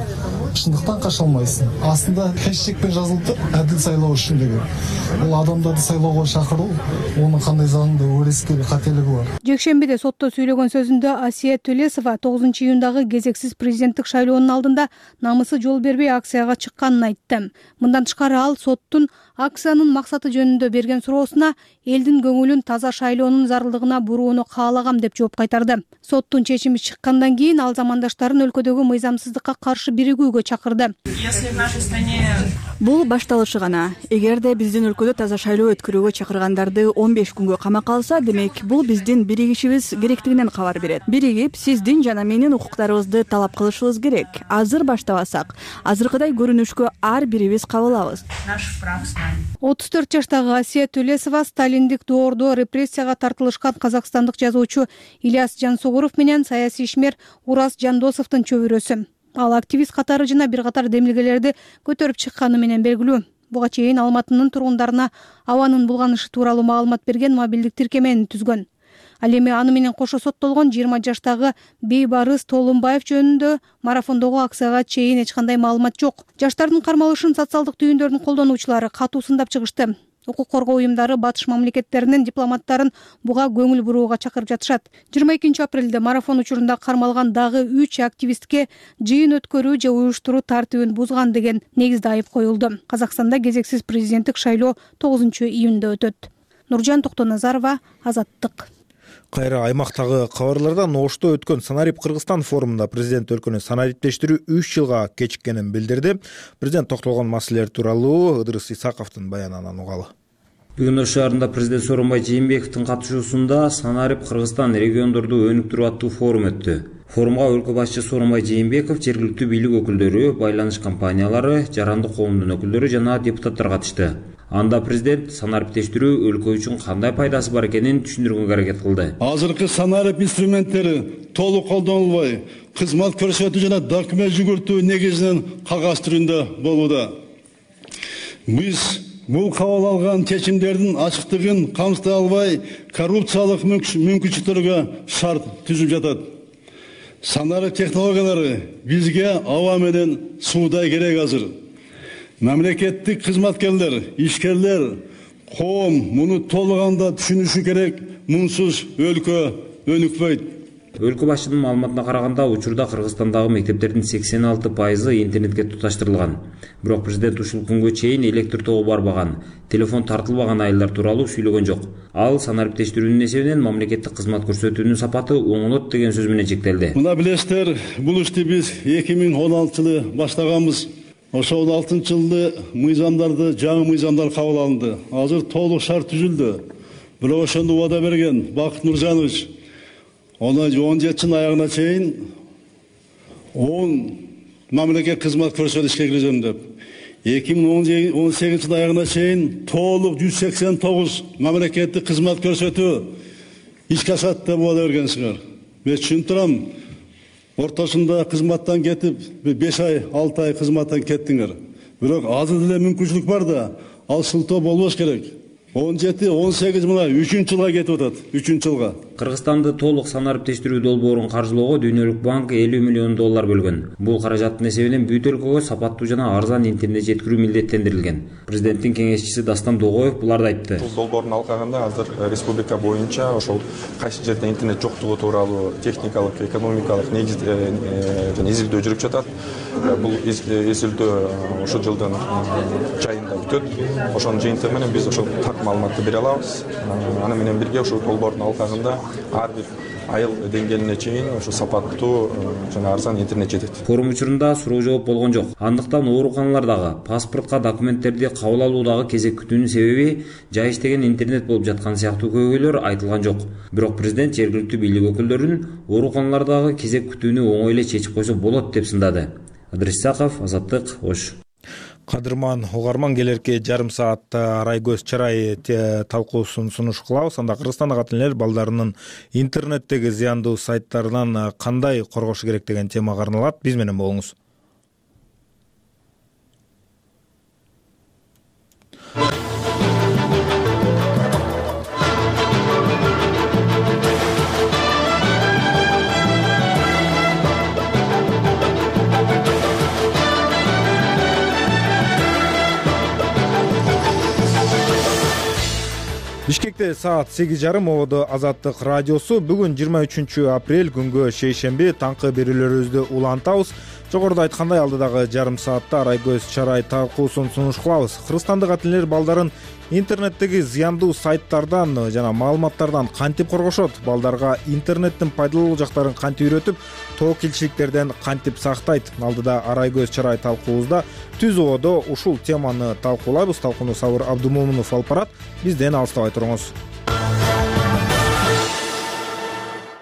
Шындыктан кача алмайсың. Астында хэштегпен жазылды адил сайлоо үчүн деген. Бул адамдарды сайлоого чакыруу, онун кандай заңда өрескел кателиги бар. Жекшембиде сотто сүйлөгөн сөзүндө Асия Төлесова 9-июндагы кезексиз президенттик шайлоонун алдында намысы жол бербей акцияга чыкканын айтты. Мындан тышкары ал соттун акциянын максаты жөнүндө берген суроосуна элдин көңүлүн таза шайлоонун зарылдыгына бурууну каалагам деп жооп кайтарды. Соттун чечими чыккандан кийин ал замандаштарын өлкөдөгү мыйзамсыздыкка каршы биригүүгө чакырды. Бул башталышы гана. Эгерде биздин өлкөдө таза шайлоо өткөрүүгө чакыргандарды 15 күнгө камакка алса, демек бул биздин биригишибиз керектигинен кабар берет. Биригип, сиздин жана менин укуктарыбызды талап кылышыбыз керек. Азыр баштабасак, азыркыдай көрүнүшкө ар бирибиз кабылабыз. 34 жаштагы Асия Төлесова сталиндик доордо репрессияга тартылышкан казакстандык жазуучу Ильяс Жансугуров менен саясий ишмер Урас Жандосовдун чөбүрөсү. Ал активист катары жана бир катар демилгелерди көтөрүп чыкканы менен белгилүү. Буга чейин Алматынын тургундарына абанын булганышы тууралуу маалымат берген мобилдик тиркемени түзгөн. Ал эми аны менен кошо соттолгон 20 жаштагы Бейбарыс Толунбаев жөнүндө марафондогу акцияга чейин эч кандай маалымат жок. Жаштардын кармалышын социалдык түйүндөрдүн колдонуучулары катуу сындап чыгышты. Укук коргоо уюмдары батыш мамлекеттеринин дипломаттарын буга көңүл бурууга чакырып жатышат. 22 апрелде марафон учурунда кармалган дагы 3 активистке жыйын өткөрүү же уюштуруу тартибин бузган деген негизде айып коюлду. Казакстанда кезексиз президенттик шайлоо 9-июнда өтөт. Нуржан Токтоназарова, Азаттык. Кайра аймактагы кабарлардан Ошто өткөн Санарип Кыргызстан форумунда президент өлкөнү санариптештирүү 3 жылга кечиккенин билдирди. Президент токтолгон маселелер тууралуу Ыдырыс Исаковдун баянынан угалы. Бүгүн Ош шаарында президент Сооронбай Жээнбековдун катышуусунда Санарип Кыргызстан региондорду өнүктүрүү аттуу форум өттү. Форумга өлкө башчысы Сооронбай Жээнбеков, жергиликтүү бийлик өкүлдөрү, байланыш компаниялары, жарандык коомдун өкүлдөрү жана депутаттар катышты. Анда президент санариптештирүү өлкө үчүн кандай пайдасы бар экенин түшүндүргөнгө аракет кылды. Азыркы санарип инструменттери толук колдонулбай, кызмат көрсөтүү жана документ жүгүртүү негизинен кагаз түрүндө болууда. Биз бул кабыл алган чечимдердин ачыктыгын камсытай албай, коррупциялык мүмкүнчүлүктөргө шарт түзүп жатат. Санарип технологиялары бизге аба менен суудай керек азыр. Мамлекеттик кызматкерлер, ишкерлер, коом муну толуганда түшүнүшү керек. Мунсуз өлкө өнүкпөйт. Өлкө башчынын маалыматына караганда, учурда Кыргызстандагы мектептердин 86% интернетке туташтырылган. Бирок президент ушул күнгө чейин электр тогу барбаган, телефон тартылбаган айылдар тууралуу сүйлөгөн жок. Ал санариптештирүүнүн эсебинен мамлекеттик кызмат көрсөтүүнүн сапаты оңолот деген сөз менен чектелди. Мына билесиздер, бул ишти биз 2016-жылы баштаганбыз. Ошол 6-жылды мыйзамдарды, жаңы мыйзамдар кабыл алынды. Азыр толук шарт түзүлдү. Бирок ошондо убада берген Бакыт Нуржанович 17-жылдын аягына чейин 10 мамлекет кызмат көрсөтүшкө киргизем деп. 2018-жылдын аягына чейин толук 189 мамлекеттик кызмат көрсөтүү ишке ашат деп убада бергенсиңер. Мен түшүнүп турам. Ортосунда кызматтан кетип 5 ай, 6 ай кызматтан кеттиңер. Бирок азыр деле мүмкүнчүлүк бар да, ал шылтоо болбош керек. 17-18 мына 3-жылга кетип атат, 3-жылга. Кыргызстанды толук санариптештирүү долбоорун каржылоого Дүйнөлүк банк $50 миллион бөлгөн. Бул каражаттын эсебинен бүт өлкөгө сапаттуу жана арзан интернет жеткирүү милдеттендирилген. Президенттин кеңешчиси Дастан Догоев буларды айтты. Бул долбоордун алкагында азыр республика боюнча ошол кайсы жерде интернет жоктугу тууралуу техникалык, экономикалык жана изилдөө жүрүп жатат. Бул изилдөө ошол жылдын жайында бүтөт. Ошонун жыйынтыгы менен биз ошол маалыматты бере алабыз. Аны менен бирге ошол долбоордун алкагында ар бир айыл деңгээлине чейин ошо сапаттуу жана арзан интернет жетет. Форум учурунда суроо жооп болгон жок. Андыктан ооруканалардагы паспортко документтерди кабыл алуудагы кезек күтүүнүн себеби жай иштеген интернет болуп жаткан сыяктуу көйгөйлөр айтылган жок. Бирок президент жергиликтүү бийлик өкүлдөрүн ооруканалардагы кезек күтүүнү оңой эле чечип койсо болот деп сындады. Ыдырыс Исаков, Азаттык, Ош. Кадырман угарман, келерки жарым саатта Арайгөз Чарай талкуусун сунуш кылабыз. Анда Кыргызстандык ата энелер балдарынын интернеттеги зыяндуу сайттарынан кандай коргошу керек деген темага арналат. Биз менен болуңуз. Бишкекте саат 8:30 ободо Азаттык радиосу. Бүгүн 23 апрель күнгө шейшемби таңкы берүүлөрүбүздү улантабыз. Жогоруда айткандай, алдыдагы жарым саатта Арайгөз Чарай талкуусун сунуш кылабыз. Кыргызстандык ата энелер балдарын интернеттеги зыяндуу сайттардан жана маалыматтардан кантип коргошот, балдарга интернеттин пайдалуу жактарын кантип үйрөтүп, тоо килчиликтерден кантип сактайт. Алдыда Арайгөз Чарай талкуубузда түз ободо ушул теманы талкуулайбыз. Талкууну Сабыр Абдумомунов алып барат. Бизден алыстабай туруңуз.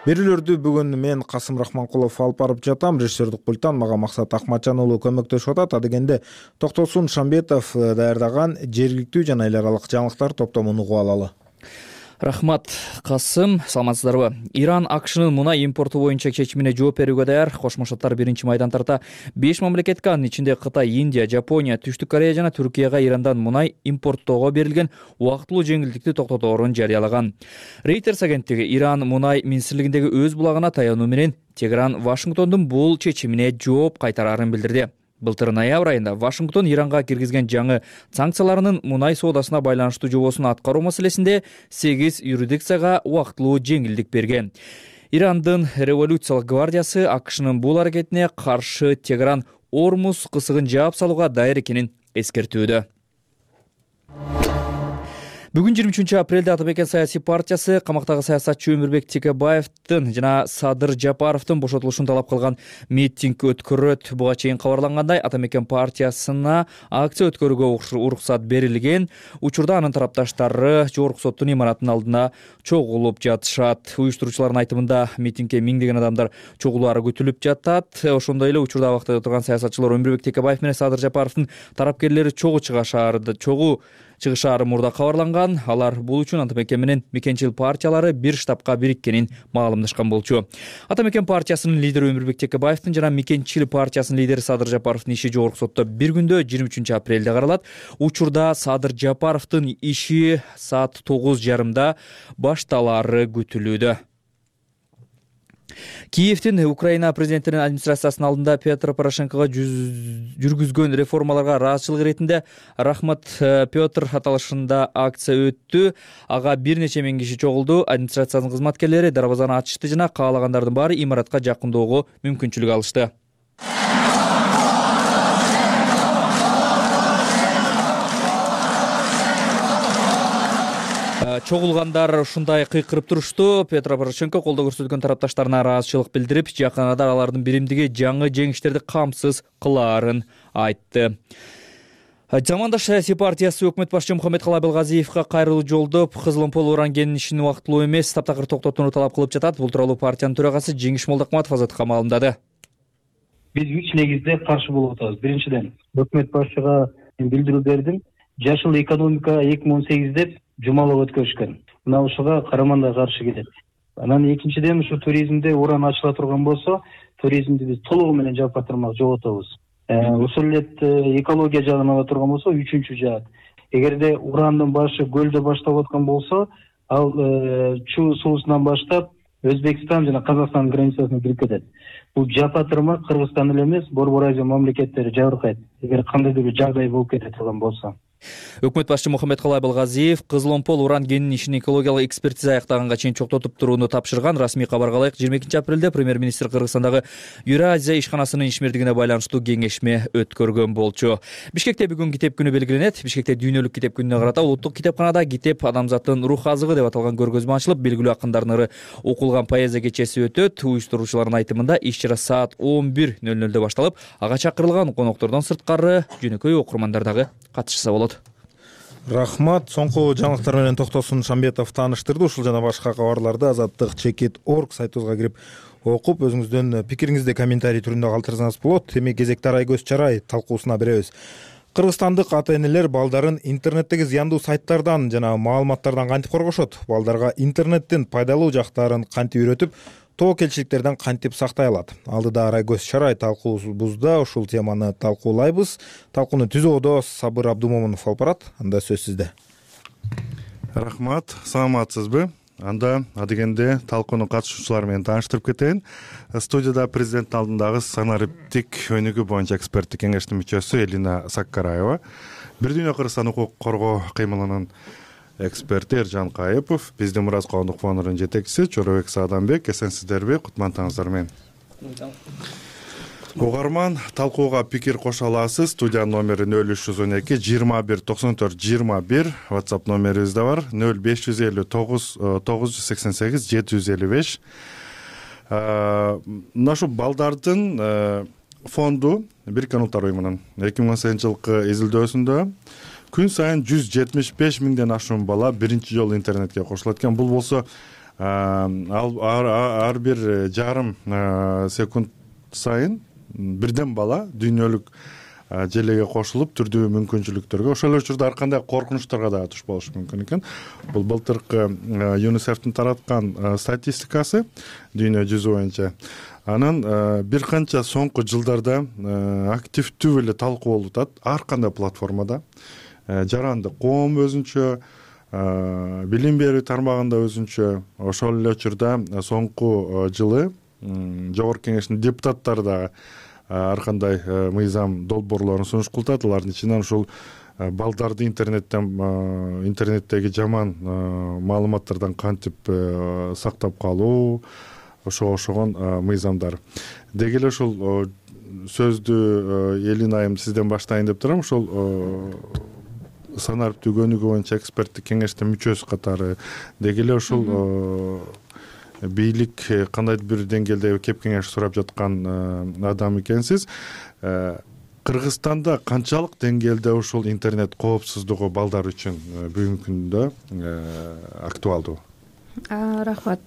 Берүүлөрдү бүгүн мен Касым Рахманкулов алып барып жатам. Режиссердик пульттан мага Максат Акматжан уулу көмөктөшүп атат. Адегенде Токтосун Шамбетов даярдаган жергиликтүү жана эл аралык жаңылыктар топтомун угуп алалы. Рахмат, Касым. Саламатсыздарбы? Иран АКШнын мунай импорту боюнча чечимине жооп берүүгө даяр. Кошмо Штаттар биринчи майдан тарта 5 мамлекетке, анын ичинде Кытай, Индия, Жапония, Түштүк Корея жана Түркияга Ирандан мунай импорттоого берилген убактылуу жеңилдикти токтоторун жарыялаган. Reuters агенттиги Иран мунай министрлигиндеги өз булагына таянуу менен Тегеран Вашингтондун бул чечимине жооп кайтарарын билдирди. Былтыр ноябрь айында Вашингтон Иранга киргизген жаңы санкцияларынын мунай соодасына байланыштуу жобосун аткаруу маселесинде 8 юрисдикцияга убактылуу жеңилдик берген. Ирандын революциялык гвардиясы АКШнын бул аракетине каршы Тегеран Ормуз кысыгын жаап салууга даяр экенин эскертүүдө. Бүгүн 23 апрелде Ата Мекен саясий партиясы камактагы саясатчы Өмүрбек Текебаевдин жана Садыр Жапаровдун бошотулушун талап кылган митинг өткөрөт. Буга чейин кабарлангандай, Ата Мекен партиясына акция өткөрүүгө уруксат берилген. Учурда анын тарапташтары жогорку соттун имаратынын алдына чогулуп жатышат. Уюштуруучулардын айтымында митингге миңдеген адамдар чогулаары күтүлүп жатат. Ошондой эле учурда абактада турган саясатчылар Өмүрбек Текебаев менен Садыр Жапаровдун тарапкерлери чогуу чыгышаары мурда кабарланган. Алар бул үчүн Ата Мекен менен мекенчил партиялары бир штабка бириккенин маалымдашкан болчу. Ата Мекен партиясынын лидери Өмүрбек Текебаевдин жана мекенчил партиясынын лидери Садыр Жапаровдун иши жогорку сотто бир күндө 23 апрелде каралат. Учурда Садыр Жапаровдун иши саат 9:30 башталаары күтүлүүдө. Киевдин Украина президентинин администрациясынын алдында Петр Порошенкого жүргүзгөн реформаларга ыраазычылык иретинде Рахмат Петр аталышында акция өттү. Ага бир нече миң киши чогулду. Администрациянын кызматкерлери дарбазаны ачышты жана каалагандардын баары имаратка жакындоого мүмкүнчүлүк алышты. Чогулгандар ушундай кыйкырып турушту. Петр Порошенко колдоо көрсөткөн тарапташтарына ыраазычылык билдирип, жакын арада алардын биримдиги жаңы жеңиштерди камсыз кылаарын айтты. Замандаш саясий партиясы өкмөт башчы Мухаммедкалый Абылгазиевге кайрылуу жолдоп, Кызыломпол уран кенинин ишин убактылуу эмес, таптакыр токтотууну талап кылып жатат. Бул тууралуу партиянын төрагасы Жеңиш Молдокматов Азаттыкка маалымдады. Биз 3 негизде каршы болуп атабыз. Биринчиден, өкмөт башчыга билдирүү бердим. Жашыл экономика 2018 деп жумалап өткөрүшкөн. Мына ушуга караманда каршы келет. Анан экинчиден, ушу туризмде уран ачыла турган болсо, туризмди биз толугу менен жаап калтырмак жоготобуз. Ушул эле экология жагынан ала турган болсо, үчүнчү жаат. Эгерде урандын башы көлдө башталып аткан болсо, ал Чу суусунан баштап Өзбекстан жана Казакстан границасына кирип кетет. Бул жапатырмак Кыргызстан эле эмес, Борбор Азия мамлекеттери жабыркайт. Эгер кандайдыр бир жагдай болуп кете турган болсо. Өкмөт башчы Мухаммедкалый Абылгазиев Кызыломпол уран кенинин ишин экологиялык экспертиза аяктаганга чейин чоктотуп турууну тапшырган. Расмий кабарга ылайык, 22 апрелде премьер-министр Кыргызстандагы Евразия ишканасынын ишмердигине байланыштуу кеңешме өткөргөн болчу. Бишкекте бүгүн китеп күнү белгиленет. Бишкекте дүйнөлүк китеп күнүнө карата улуттук китепканада китеп адамзаттын рух азыгы деп аталган көргөзмө ачылып, белгилүү акындардын ыры окулган поэзия кечеси өтөт. Уюштуруучулардын айтымында иш-чара саат 11:00 башталып, ага чакырылган коноктордон сырткары жөнөкөй окурмандар дагы катышса болот. Рахмат. Соңку жаңылыктар менен Токтосун Шамбетов тааныштырды. Ушул жана башка кабарларды Азаттык.org сайтыбызга кирип окуп, өзүңүздүн пикириңизди комментарий түрүндө калтырсаңыз болот. Эми кезекте Арайгөз Чарай талкуусуна беребиз. Кыргызстандык ата-энелер балдарын интернеттеги зыяндуу сайттардан жана маалыматтардан кантип коргошот? Балдарга интернеттин пайдалуу жактарын кантип үйрөтүп, тобокелчиликтерден кантип сактай алат? Алдыда Арайгөз Шарай талкуубузда ушул теманы талкуулайбыз. Талкууну түзүүдө Сабыр Абдумомунов алып барат. Анда сөз сизде. Рахмат, саламатсызбы? Анда адегенде талкуунун катышуучулары менен тааныштырып кетейин. Студияда президенттин алдындагы санариптик өнүгүү боюнча эксперттик кеңештин мүчөсү Элина Саккараева, Бир дүйнө Кыргызстан укук коргоо кыймылынын эксперти Эржан Кайыпов, биздин Мураз коомдук фондунун жетекчиси Чоробек Сааданбек. Эсенсиздерби? Кутмандыгыңыздар менен. Угарман, талкууга пикир кошо аласыз. Студия номери 0312 21 94 21, WhatsApp номерибиз да бар 0559 988 755. Мына ушу балдардын фонду Бириккен Улуттар уюмунун 2018 жылкы изилдөөсүндө күн сайын 175 миңден ашуун бала биринчи жолу интернетке кошулат экен. Бул болсо ар бир жарым секунд сайын бирден бала дүйнөлүк желеге кошулуп түрдүү мүмкүнчүлүктөргө, ошол учурда ар кандай коркунучтарга да туш болушу мүмкүн экен. Бул былтыркы ЮНИСЕФтин тараткан статистикасы дүйнө жүзү боюнча. Анан бир канча соңку жылдарда активдүү эле талкуу болуп атат ар кандай платформада. Жарандык коом өзүнчө, билим берүү тармагында өзүнчө. Ошол эле учурда соңку жылы Жогорку Кеңештин депутаттары да ар кандай мыйзам долбоорлорун сунуш кылып атат. Алардын ичинен ушул балдарды интернеттеги жаман маалыматтардан кантип сактап калуу, ошого окшогон мыйзамдар. Деги эле ушул сөздү Элина айым сизден баштайын деп турам. Ошол санариптик өнүгүү боюнча эксперттик кеңештин мүчөсү катары деги эле ушул бийлик кандайдыр бир деңгээлде кеп кеңеш сурап жаткан адам экенсиз. Кыргызстанда канчалык деңгээлде ушул интернет коопсуздугу балдар үчүн бүгүнкү күндө актуалдуу? Рахмат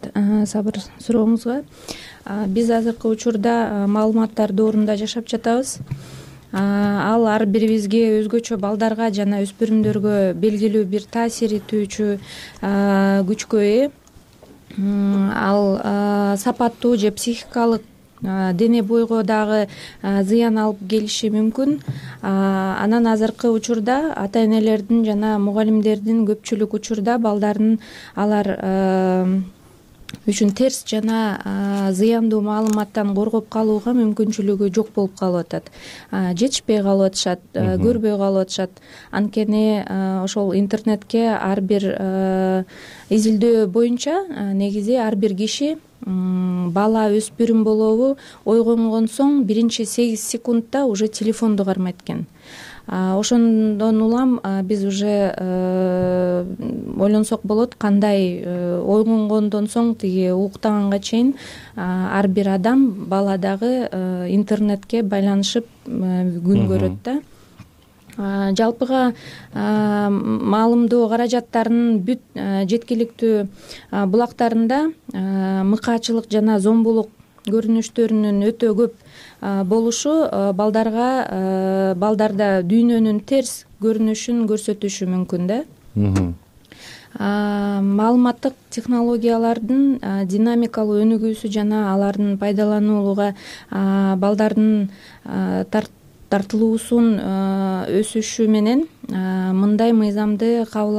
Сабыр сурооңузга. Биз азыркы учурда маалыматтар доорунда жашап жатабыз. Ал ар бирибизге өзгөчө балдарга жана өспүрүмдөргө белгилүү бир таасир этүүчү күчкө ээ. Ал сапаттуу же психикалык дене бойго дагы зыян алып келиши мүмкүн. Анан азыркы учурда ата-энелердин жана мугалимдердин көпчүлүк учурда балдардын алар үчүн терс жана зыяндуу маалыматтан коргоп калууга мүмкүнчүлүгү жок болуп калып атат. Жетишпей калып атышат, көрбөй калып атышат. Анткени ошол интернетке ар бир изилдөө боюнча негизи ар бир киши бала өспүрүм болобу ойгонгон соң биринчи 8 секундта уже телефонду кармайт экен. Ошондон улам биз уже ойлонсок болот, кандай ойгонгондон соң тиги уктаганга чейин ар бир адам, бала дагы интернетке байланышып күн көрөт да. Жалпыга маалымдоо каражаттарынын бүт жеткиликтүү булактарында мыкаачылык жана зомбулук көрүнүштөрүнүн өтө көп болушу балдарда дүйнөнүн терс көрүнүшүн көрсөтүшү мүмкүн да. Маалыматтык технологиялардын динамикалуу өнүгүүсү жана алардын пайдалануулуга балдардын тартылуусун өсүшү менен мындай мыйзамды кабыл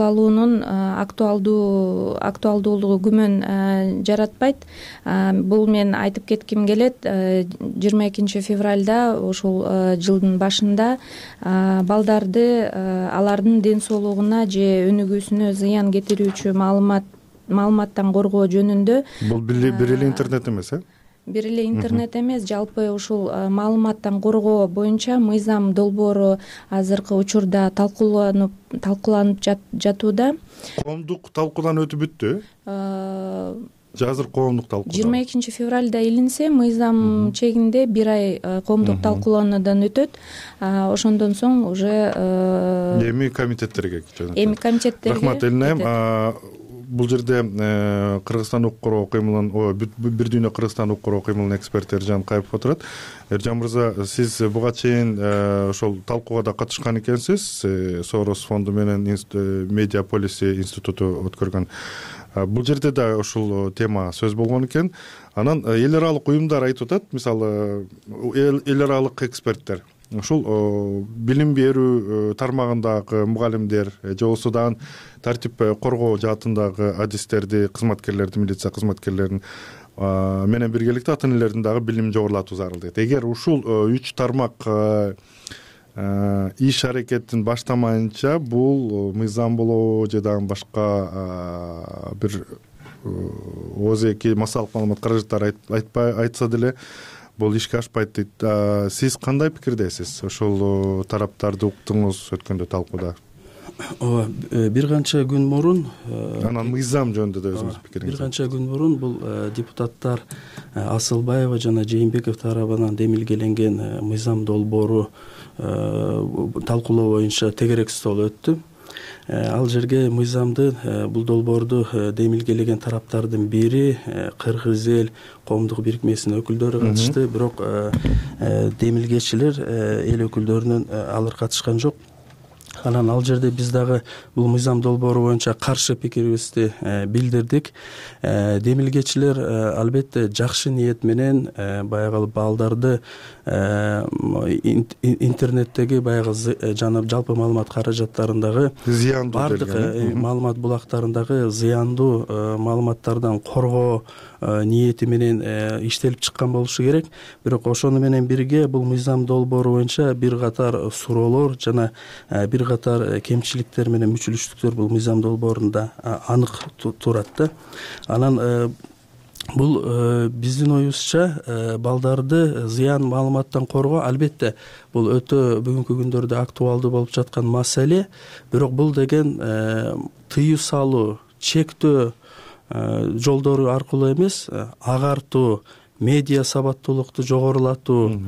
алуунун актуалдуулугу күмөн жаратпайт. Бул мен айтып кетким келет. 22 февралда ушул жылдын башында балдарды алардын ден соолугуна же өнүгүүсүнө зыян кетирүүчү маалыматтан коргоо жөнүндө. Бул бир эле интернет эмес, Бир эле интернет эмес, жалпы ушул маалыматтан коргоо боюнча мыйзам долбоору азыркы учурда талкууланып жатууда. Коомдук талкуудан өтүп бүттү? Азыр коомдук талкуу. 22 февралда илинсе, мыйзам чегинде бир ай коомдук талкуулоодан өтөт. Ошондон соң уже эми комитеттерге. Рахмат Элина айым. бул жерде Кыргызстан укук коргоо кыймылын бир дүйнө Кыргызстан укук коргоо кыймылынын эксперти Эржан Кайыпов отурат. Эржан мырза, сиз буга чейин ошол талкууга да катышкан экенсиз. Сорос фонду менен Медиа Policy институту өткөргөн. Бул жерде да ушул тема сөз болгон экен. Анан эл аралык уюмдар айтып атат, мисалы эл аралык эксперттер ушул билим берүү тармагындагы мугалимдер же болбосо дагы тартип коргоо жаатындагы адистерди, кызматкерлерди, милиция кызматкерлерин менен биргеликте ата энелердин дагы билимин жогорулатуу зарыл дейт. Эгер ушул 3 тармак иш аракетин баштамайынча бул мыйзам болобу же дагы башка бир оозеки массалык маалымат каражаттары айтса деле бул ишке ашпайт дейт. Сиз кандай пикирдесиз? Ошол тараптарды уктуңуз өткөндө талкууда. Ооба, бир канча күн мурун анан мыйзам жөнүндө да өзүңүздүн пикириңиз. Бир канча күн мурун бул депутаттар Асылбаева жана Жээнбеков тарабынан демилгеленген мыйзам долбоору талкуулоо боюнча тегерек стол өттү. Ал жерге мыйзамды, бул долбоорду демилгелеген тараптардын бири Кыргыз эл коомдук бирикмесинин өкүлдөрү катышты, бирок демилгечилер эл өкүлдөрүнөн алар катышкан жок. Анан ал жерде биз дагы бул мыйзам долбоору боюнча каршы пикирибизди билдирдик. Демилгечилер албетте жакшы ниет менен баягы балдарды интернеттеги баягы жана жалпы маалымат каражаттарындагы бардык маалымат булактарындагы зыяндуу маалыматтардан коргоо ниети менен иштелип чыккан болушу керек. Бирок ошону менен бирге бул мыйзам долбоору боюнча бир катар суроолор жана бир катар кемчиликтер менен мүчүлүштүктөр бул мыйзам долбоорунда анык турат да. Анан бул биздин оюбузча балдарды зыян маалыматтан коргоо албетте бул өтө бүгүнкү күндөрдө актуалдуу болуп жаткан маселе. Бирок бул деген тыюу салуу, чектөө жолдору аркылуу эмес, агартуу, медиа сабаттуулукту жогорулатуу,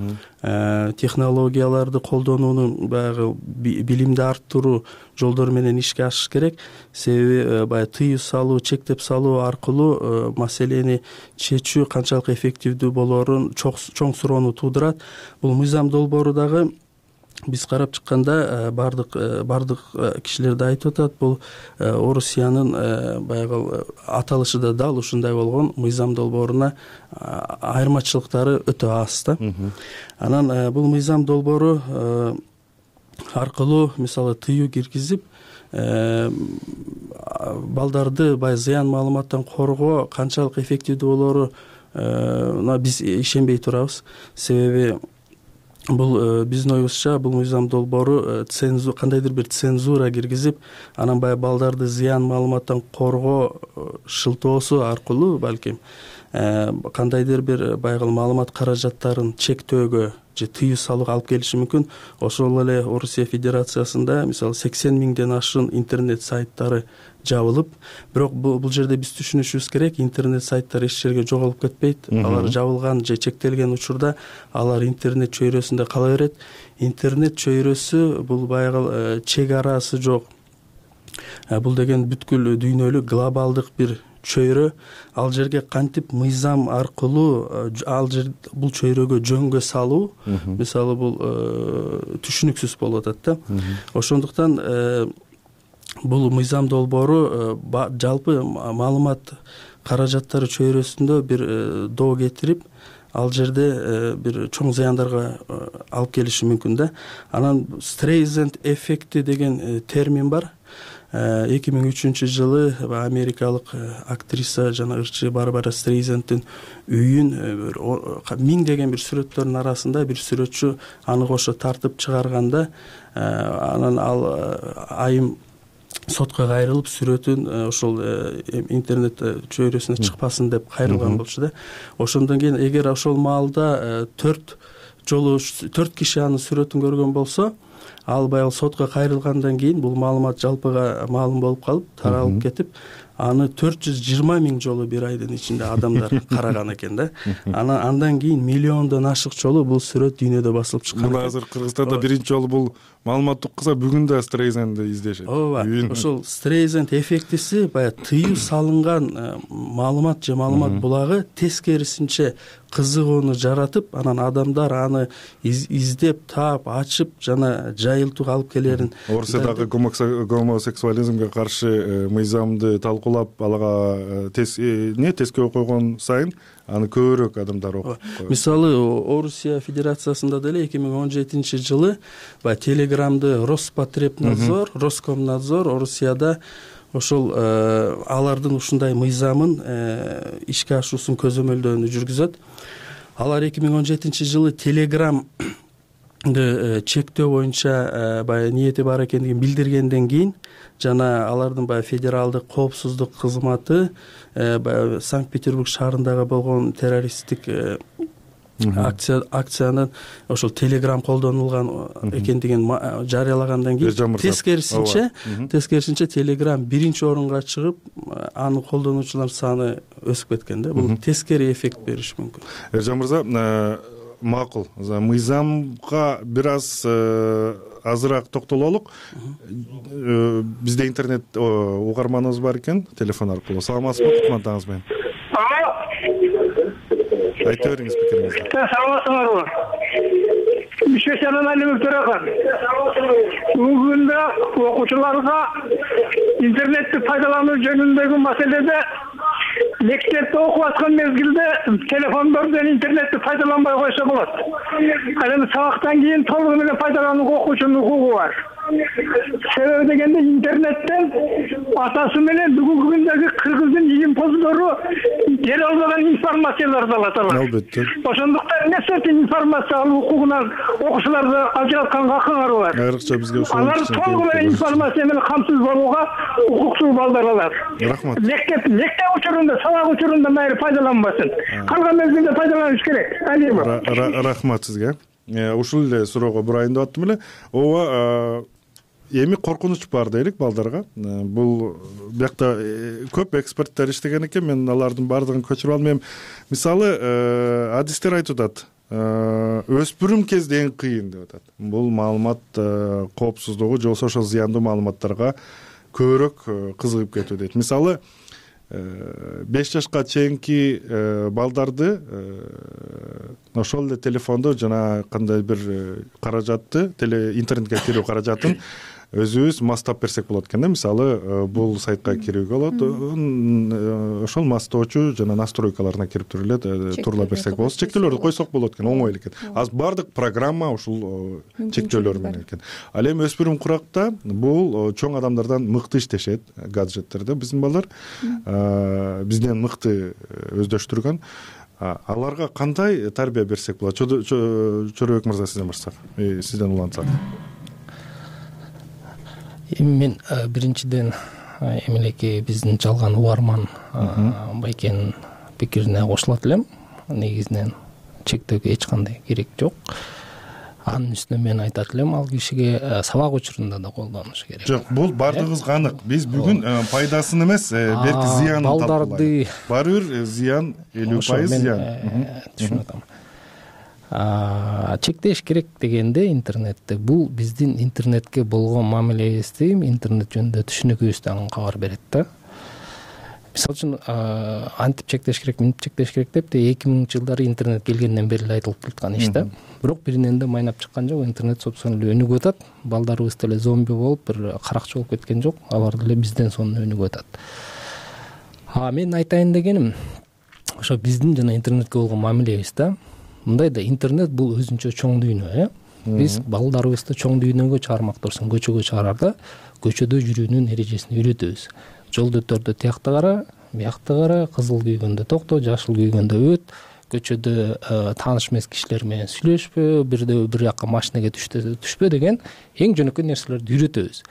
технологияларды колдонуунун баягы билимди арттыруу жолдору менен ишке ашыш керек. Себеби баягы тыюу салуу, чектеп салуу аркылуу маселени чечүү канчалык эффективдүү болоорун чоң суроону туудурат. Бул мыйзам долбоору дагы биз карап чыкканда бардык кишилер да айтып атат, бул Орусиянын баягы аталышы да дал ушундай болгон мыйзам долбооруна айырмачылыктары өтө аз да. Анан бул мыйзам долбоору аркылуу мисалы тыюу киргизип балдарды баягы зыян маалыматтан коргоо канчалык эффективдүү болоору биз ишенбей турабыз. Себеби бул биздин оюбузча бул мыйзам долбоору кандайдыр бир цензура киргизип, анан баягы балдарды зыян маалыматтан коргоо шылтоосу аркылуу балким кандайдыр бир баягы маалымат каражаттарын чектөөгө же тыюу салууга алып келиши мүмкүн. Ошол эле Орусия Федерациясында мисалы 80 миңден ашык интернет сайттары жабылып, бирок бул жерде биз түшүнүшүбүз керек, интернет сайттар эч жерге жоголуп кетпейт. Алар жабылган же чектелген учурда алар интернет чөйрөсүндө кала берет. Интернет чөйрөсү бул баягы чек арасы жок. Бул деген бүткүл дүйнөлүк глобалдык бир чөйрө. Ал жерге кантип мыйзам аркылуу бул чөйрөгө жөнгө салуу мисалы бул түшүнүксүз болуп атат да. Ошондуктан бул мыйзам долбоору жалпы маалымат каражаттары чөйрөсүндө бир доо кетирип, ал жерде бир чоң зыяндарга алып келиши мүмкүн да. Анан Стрейзенд эффекти деген термин бар. 2003-жылы америкалык актриса жана ырчы Барбара Стрейзенддин үйүн 1000 деген бир сүрөттөрдүн арасында бир сүрөтчү аны кошо тартып чыгарганда, анан ал айым сотко кайрылып сүрөтүн ошол интернет чөйрөсүнө чыкпасын деп кайрылган болчу да. Ошондон кийин эгер ошол маалда 4 киши анын сүрөтүн көргөн болсо, ал баягы сотко кайрылгандан кийин бул маалымат жалпыга маалым болуп калып таралып кетип, аны 420 миң жолу бир айдын ичинде адамдар караган экен да. Андан кийин миллиондон ашык жолу бул сүрөт дүйнөдө басылып чыккан. Мына азыр Кыргызстанда биринчи жолу бул маалымат укса, бүгүн да Стрейзенди издешет. Ооба. Ошол Стрейзенд эффектиси баягы тыюу салынган маалымат же маалымат булагы тескерисинче кызыгууну жаратып, анан адамдар аны издеп, таап, ачып жана жайылтууга алып келерин. Орусиядагы гомосексуализмге каршы мыйзамды талкуулап, алага тескөө койгон сайын аны көбүрөөк адамдар окуп. Мисалы, Орусия Федерациясында деле 2017 жылы Телеграмды Роспотребнадзор, Роскомнадзор Орусияда ошол алардын ушундай мыйзамын ишке ашуусун көзөмөлдөөнү жүргүзөт. Алар 2017 жылы Телеграмды чектөө боюнча баягы ниети бар экендигин билдиргенден кийин жана алардын баягы федералдык коопсуздук кызматы баягы Санкт-Петербург шаарындагы болгон террористтик акциянын ошол Телеграм колдонулган экендигин жарыялагандан кийин тескерисинче Телеграм биринчи орунга чыгып, анын колдонуучулар саны өсүп кеткен да. Бул тескери эффект бериши мүмкүн. Эржан мырза, макул. Мыйзамга бир аз азыраак токтололук. Бизде интернет угарманыбыз бар экен, телефон аркылуу. Саламатсызбы, кутмандаңыз менен. Айта бериңиз пикириңизди. Саламатсыздарбы? Бишкектен Алимов Төрахан. Бүгүндө окуучуларга интернетти пайдалануу жөнүндөгү маселеде мектепте окуп аткан мезгилде телефондордон интернетти пайдаланбай койсо болот. Ал эми сабактан кийин толугу менен пайдаланууга окуучунун укугу бар. Себеби дегенде интернеттен атасы менен бүгүнкү күндөгү кыргыздын илимпоздору бере албаган информацияларды алат алар. Албетте. Ошондуктан нерсе информация алуу укугунан окуучуларды ажыратканга акыңар бар. Айрыкча бизге ошол алар толугу менен информация менен камсыз болууга укуктуу балдар алар. Рахмат. Мектеп учурунда, сабак учурунда майыр пайдаланбасын. Калган мезгилде пайдаланыш керек. Рахмат сизге. Ушул эле суроого бурайын деп аттым эле. Ооба, эми коркунуч бар дейлик балдарга. Бул биякта көп эксперттер иштеген экен, мен алардын баардыгын көчүрүп алдым. Мисалы, адистер айтып атат, өспүрүм кезде эң кыйын деп атат. Бул маалымат коопсуздугу же ошол зыяндуу маалыматтарга көбүрөөк кызыгып кетүү дейт. Мисалы, 5 жашка чейинки балдарды ошол эле телефонду жана кандай бир каражатты, интернетке кирүү каражатын өзүбүз мастап берсек болот экен да. Мисалы, бул сайтка кирүүгө болот, ошол мастоочу жана настройкаларына кирип туруп эле турула берсек болот. Чектөөлөрдү койсок болот экен, оңой эле экен. Аз бардык программа ушул чектөөлөр менен экен. Ал эми өспүрүм куракта бул чоң адамдардан мыкты иштешет, гаджеттерде биздин балдар бизден мыкты өздөштүргөн. Аларга кандай тарбия берсек болот? Чорубек мырза, сизден баштасак, сизден улантсак. Мен биринчиден эмелеки биздин жалган угарман Байкенин пикирине кошулат элем. Негизинен чектөөгө эч кандай керек жок. Анын үстүнө мен айтат элем, ал кишиге сабак учурунда да колдонуш керек. Жок, бул бардыгыбызга анык. Биз бүгүн пайдасын эмес, белки зыянын балдарды баары бир зыян 50% зыян. Түшүнүп атам. Чектеш керек дегенде интернетте бул биздин интернетке болгон мамилебизди, интернет жөнүндө түшүнүгүбүздөн кабар берет да. Мисалы үчүн антип чектеш керек, мынтип чектеш керек деп 2000 жылдары интернет келгенден бери айтылып келаткан иш да. Бирок биринен да майнап чыккан жок. Интернет собственно өнүгүп атат. Балдарыбыз деле зомби болуп, бир каракчы болуп кеткен жок. Алар деле бизден сонун өнүгүп атат. Мен айтайын дегеним, ошо биздин жана интернетке болгон мамилебиз да. Мындай да, интернет бул өзүнчө чоң дүйнө, Биз балдарыбызды чоң дүйнөгө чыгармак турсун, көчөгө чыгарарда көчөдө жүрүүнүн эрежесин үйрөтөбүз. Жолдо өтөрдө тиякты кара, биякты кара, кызыл күйгөндө токто, жашыл күйгөндө өт, көчөдө тааныш эмес кишилер менен сүйлөшпө, бир жака машинеге түшпө деген эң жөнөкөй нерселерди үйрөтөбүз.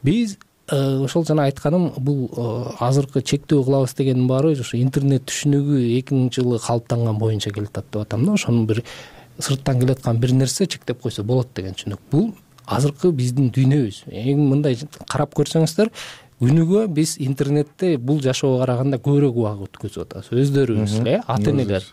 Биз ошол жана айтканым, бул азыркы чектөө кылабыз дегендин баары ошо интернет түшүнүгү 2000 жылы калыптанган боюнча келатат деп атам да. Ошонун бир сырттан келаткан бир нерсе чектеп койсо болот деген түшүнүк. Бул азыркы биздин дүйнөбүз. Эң мындай карап көрсөңүздөр, күнүгө биз интернетте бул жашоого караганда көбүрөөк убакыт өткөзүп атабыз, өздөрүбүз эле, ата энелер.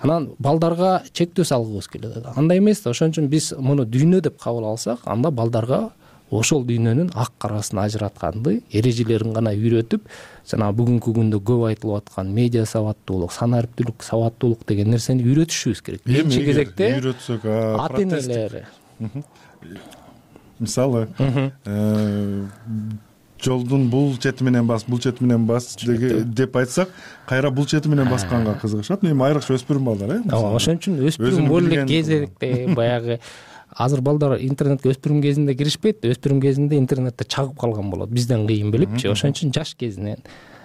Анан балдарга чектөө салгыбыз келет. Андай эмес да. Ошон үчүн биз муну дүйнө деп кабыл алсак, анда балдарга ошол дүйнөнүн ак карасын ажыратканды, эрежелерин гана үйрөтүп, жана бүгүнкү күндө көп айтылып аткан медиа сабаттуулук, санариптүүлүк, сабаттуулук деген нерсени үйрөтүшүбүз керек. Биринчи кезекте үйрөтсөк, ата энелер. Мисалы, жолдун бул чети менен бас, бул чети менен бас деп айтсак, кайра бул чети менен басканга кызыгышат. Эми айрыкча өспүрүм балдар, Ошон үчүн өспүрүм болуп кезекте баягы азыр балдар интернетке өспүрүм кезинде киришпейт, өспүрүм кезинде интернетте чагып калган болот, бизден кыйын билипчи. Ошон үчүн жаш кезинен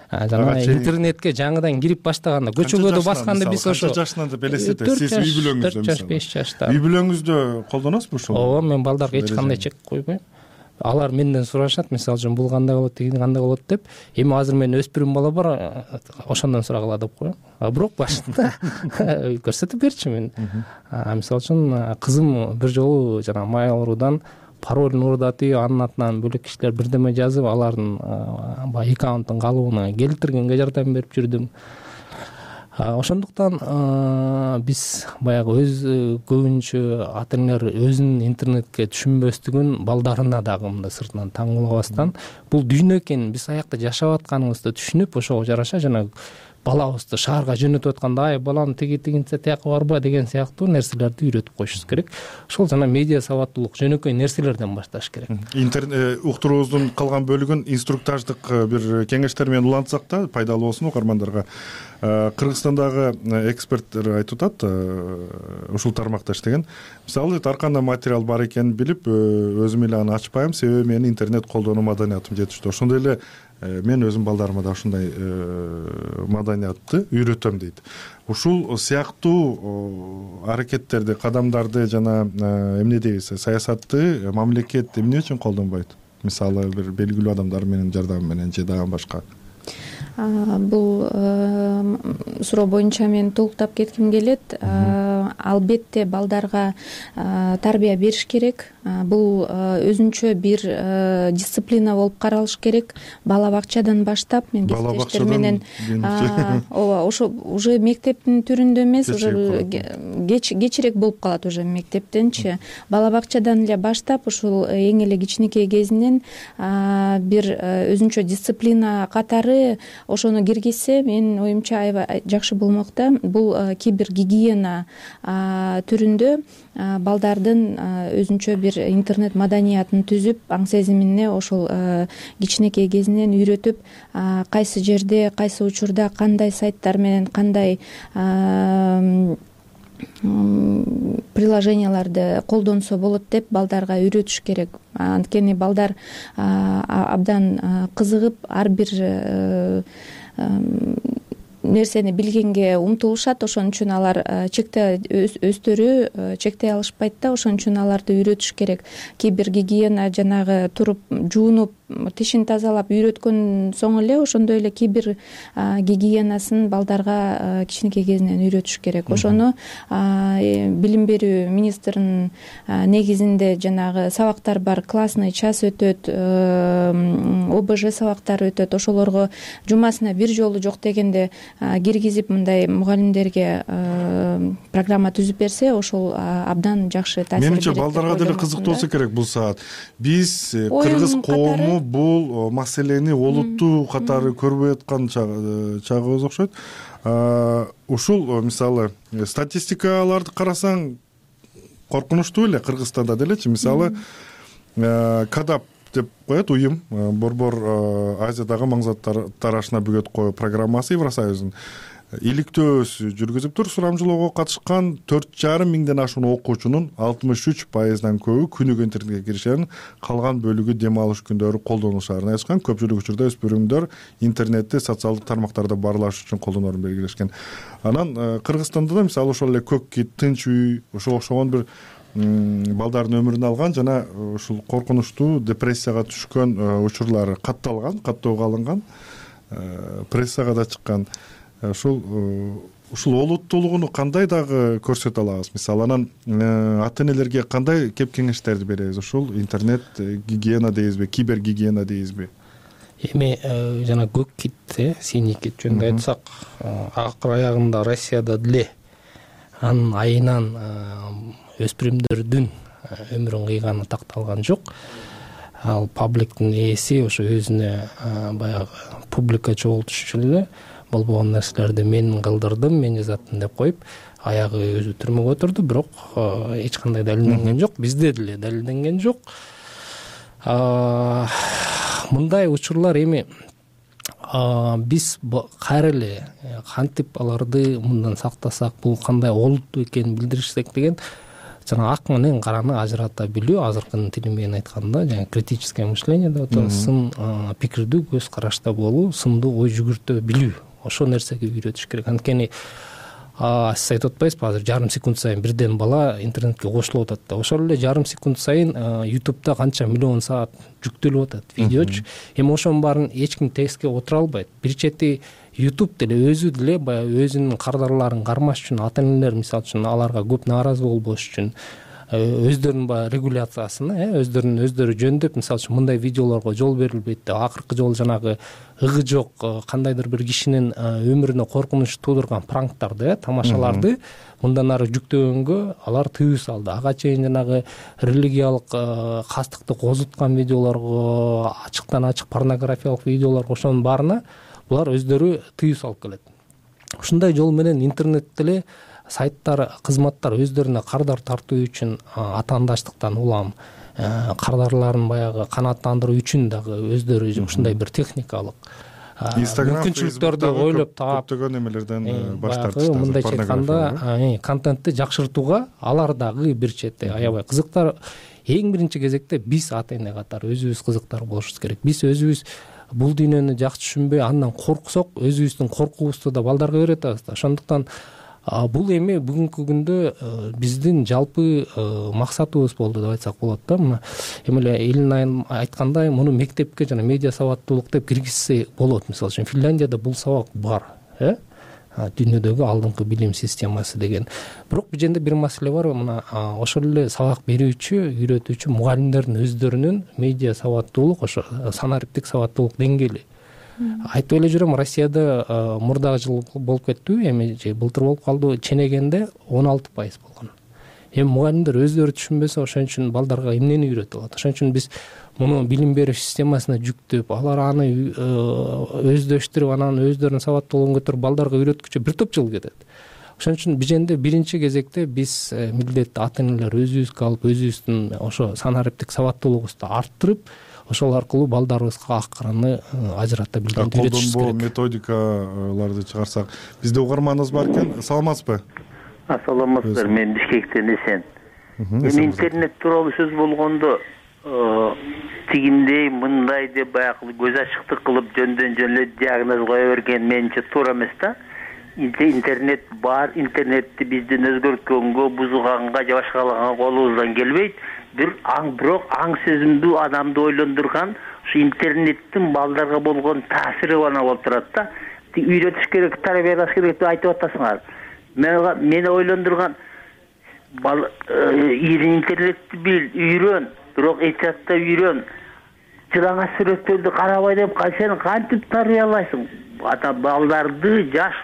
жана интернетке жаңыдан кирип баштаганда, көчөгөдө басканда биз ошо канча жашынан деп элестетесиз? Сиз үй бүлөңүздө, 4-5 жашта. Үй бүлөңүздө колдоносузбу ошол? Ооба, мен балдарга эч кандай чек койбойм. Алар менден сурашат, мисалы үчүн бул кандай болот, тиги кандай болот деп. Эми азыр менин өспүрүм бала бар, ошондон сурагыла деп коем. Бирок башында көрсөтүп берчү мен. Мисалы үчүн кызым бир жолу жана Mail.ru'дан паролун урдатып, анын атынан бөлөк кишилер бирдеме жазып, алардын баягы аккаунттун калыбына келтиргенге жардам берип жүрдүм. Ошондуктан биз баягы өз көбүнчө ата энелер өзүнүн интернетке түшүнбөстүгүн балдарына дагы мындай сыртынан таңгылабастан, бул дүйнө экенин биз аякта жашап атканыбызды түшүнүп, ошого жараша жана балабызды шаарга жөнөтүп атканда, ай балам тигинсе тияка барба деген сыяктуу нерселерди үйрөтүп коюшубуз керек. Ошол жана медиа сабаттуулук, жөнөкөй нерселерден башташ керек. Уктуруубуздун калган бөлүгүн инструктаждык бир кеңештер менен улантсак да, пайдалуу болсун угармандарга. Кыргызстандагы эксперттер айтып атат, ушул тармакта иштеген. Мисалы, ар кандай материал бар экенин билип, өзүм эле аны ачпайм, себеби менин интернет колдонуу маданиятым жетиштүү. Ошондой эле мен өзүм балдарыма да ушундай маданиятты үйрөтөм дейт. Ушул сыяктуу аракеттерди, кадамдарды жана эмне дейбиз, саясатты мамлекет эмне үчүн колдонбойт? Мисалы, бир белгилүү адамдар менен жардамы менен же дагы башка. Бул суроо боюнча мен толуктап кетким келет. Албетте балдарга тарбия бериш керек. Бул өзүнчө бир дисциплина болуп каралыш керек. Бала бакчадан баштап, мен кесиптештер менен ооба, ошо уже мектептин түрүндө эмес, уже кечирээк болуп калат уже мектептенчи. Бала бакчадан эле баштап, ушул эң эле кичинекей кезинен бир өзүнчө дисциплина катары ошону киргизсе, менин оюмча аябай жакшы болмок да. Бул кибергигиена түрүндө балдардын өзүнчө бир интернет маданиятын түзүп, аң сезимине ошол кичинекей кезинен үйрөтүп, кайсы жерде, кайсы учурда кандай сайттар менен кандай приложенияларды колдонсо болот деп балдарга үйрөтүш керек. Анткени балдар абдан кызыгып, ар бир нерсени билгенге умтулушат. Ошон үчүн алар өздөрү чектей алышпайт да. Ошон үчүн аларды үйрөтүш керек. Кибергигиена жанагы туруп жуунуп, тишин тазалап үйрөткөн соң эле ошондой эле кибер гигиенасын балдарга кичинекей кезинен үйрөтүш керек. Ошону билим берүү министринин негизинде жанагы сабактар бар, классный час өтөт, ОБЖ сабактары өтөт. Ошолорго жумасына бир жолу жок дегенде киргизип, мындай мугалимдерге программа түзүп берсе, ошол абдан жакшы таасир берет. Менимче балдарга деле кызыктуу болсо керек бул саат. Биз кыргыз коому бул маселени олуттуу катары көрбөй аткан чагыбыз окшойт. Ушул мисалы статистикаларды карасаң коркунучтуу эле Кыргызстанда делечи. Мисалы КАДАП деп коет уюм, Борбор Азиядагы маңызаттар ашына бөгөт коюу программасы Евросоюздун иликтөөсү жүргүзүп тур. Сурамжылоого катышкан 4,5 миңден ашуун окуучунун 63%дан көбү күнүгө интернетке киришерин, калган бөлүгү дем алыш күндөрү колдонушарын айткан. Көпчүлүк учурда өспүрүмдөр интернетти социалдык тармактарда баарлаш үчүн колдонорун белгилешкен. Анан Кыргызстанда да мисалы ошол эле Көк кит, Тынч үй, ошол окшогон бир балдардын өмүрүн алган жана ушул коркунучтуу депрессияга түшкөн учурлары каттоого алынган, прессага да чыккан. Ушул ушул олуттуулугуну кандай дагы көрсөтө алабыз? Мисалы анан ата энелерге кандай кеп кеңештерди беребиз? Ушул интернет гигиена дейбизби, кибер гигиена дейбизби? Эми жана көк кит, синий кит жөнүндө айтсак, акыр аягында Россияда деле анын айынан өспүрүмдөрдүн өмүрүн кыйганы такталган жок. Ал пабликтин ээси ошо өзүнө баягы публика чогултуш үчүн эле болбогон нерселерди мен кылдырдым, мен жазаттым деп коюп, аягы өзү түрмөгө отурду, бирок эч кандай далилденген жок, бизде деле далилденген жок. Мындай учурлар эми биз кайра эле кантип аларды мындан сактасак, бул кандай олуттуу экенин билдиришсек деген жана ак менен караны ажырата билүү, азыркынын тили менен айтканда жана критическое мышление деп атабыз, сын пикирдүү көз карашта болуу, сындуу ой жүгүртө билүү, ошол нерсеге үйрөтүш керек. Анткени сиз айтып атпайсызбы, азыр жарым секунд сайын бирден бала интернетке кошулуп атат да, ошол эле жарым секунд сайын YouTube'да канча миллион саат жүктөлүп атат видеочу. Эми ошонун баарын эч ким текстке отура албайт. Бир чети YouTube деле өзү деле баягы өзүнүн кардарларын кармаш үчүн, ата энелер мисалы үчүн аларга көп нааразы болбош үчүн өздөрүнүн баягы регуляциясын өздөрү жөндөп, мисалы үчүн мындай видеолорго жол берилбейт деп, акыркы жолу жанагы ыгы жок кандайдыр бир кишинин өмүрүнө коркунуч туудурган пранктарды, тамашаларды мындан ары жүктөгөнгө алар тыюу салды. Ага чейин жанагы религиялык кастыкты козуткан видеолорго, ачыктан ачык порнографиялык видеолорго, ошонун баарына булар өздөрү тыюу салып келет. Ушундай жол менен интернетте эле сайттар, кызматтар өздөрүнө кардар тартуу үчүн атаандаштыктан улам кардарларын баягы канааттандыруу үчүн дагы өздөрү ушундай бир техникалык мүмкүнчүлүктөрдү ойлоп таап көптөгөн эмелерден баш тартышты. Мындайча айтканда контентти жакшыртууга алар дагы бир чети аябай кызыктар. Эң биринчи кезекте биз ата эне катары өзүбүз кызыктар болушубуз керек. Биз өзүбүз бул дүйнөнү жакшы түшүнбөй андан корксок, өзүбүздүн коркуубузду да балдарга үйрөтөбүз да. Ошондуктан бул эми бүгүнкү күндө биздин жалпы максатыбыз болду деп айтсак болот да. Мына эми эле Элин айткандай, муну мектепке жана медиа сабаттуулук деп киргизсе болот. Мисалы үчүн Финляндияда бул сабак бар, дүйнөдөгү алдыңкы билим системасы деген. Бирок бул жерде бир маселе бар. Мына ошол эле сабак берүүчү, үйрөтүүчү мугалимдердин өздөрүнүн медиа сабаттуулук, ошо санариптик сабаттуулук деңгээли. Айтып эле жүрөм, Россияда мурдагы жыл болуп кеттиби, эми же былтыр болуп калды, ченегенде 16% болгон. Эми мугалимдер өздөрү түшүнбөсө, ошон үчүн балдарга эмнени үйрөтүп алат? Ошон үчүн биз муну билим берүү системасына жүктөп, алар аны өздөштүрүп, анан өздөрүнүн сабаттуулугун көтөрүп балдарга үйрөткүчө бир топ жыл кетет. Ошон үчүн биженде биринчи кезекте биз милдетти ата энелер өзүбүзгө алып, өзүбүздүн ошо санариптик сабаттуулугубузду арттырып, ошол аркылуу балдарыбызга ак караны ажырата билгенди үйрөтүшүбүз керек. Колдонбоо методикаларды чыгарсак, бизде угарманыбыз бар экен. Саламатсызбы? Саламатсыздар, мен Бишкектен Эсен. Эми интернет тууралуу сөз болгондо тигиндей мындай деп баягы көз ачыктык кылып жөндөн жөн эле диагноз кое берген менимче туура эмес да. Интернет бар, интернетти биздин өзгөрткөнгө, бузганга же башкалаганга колубуздан келбейт. Бирок аң сезимдүү адамды ойлондурган ушу интернеттин балдарга болгон таасири гана болуп турат да. Үйрөтүш керек, тарбиялаш керек деп айтып атасыңар. Мени ойлондурган интернетти бил, үйрөн, бирок этиятта үйрөн. Жылаңа сүрөттөрдү карабай деп сен кантип тарбиялайсың? Ата балдарды жаш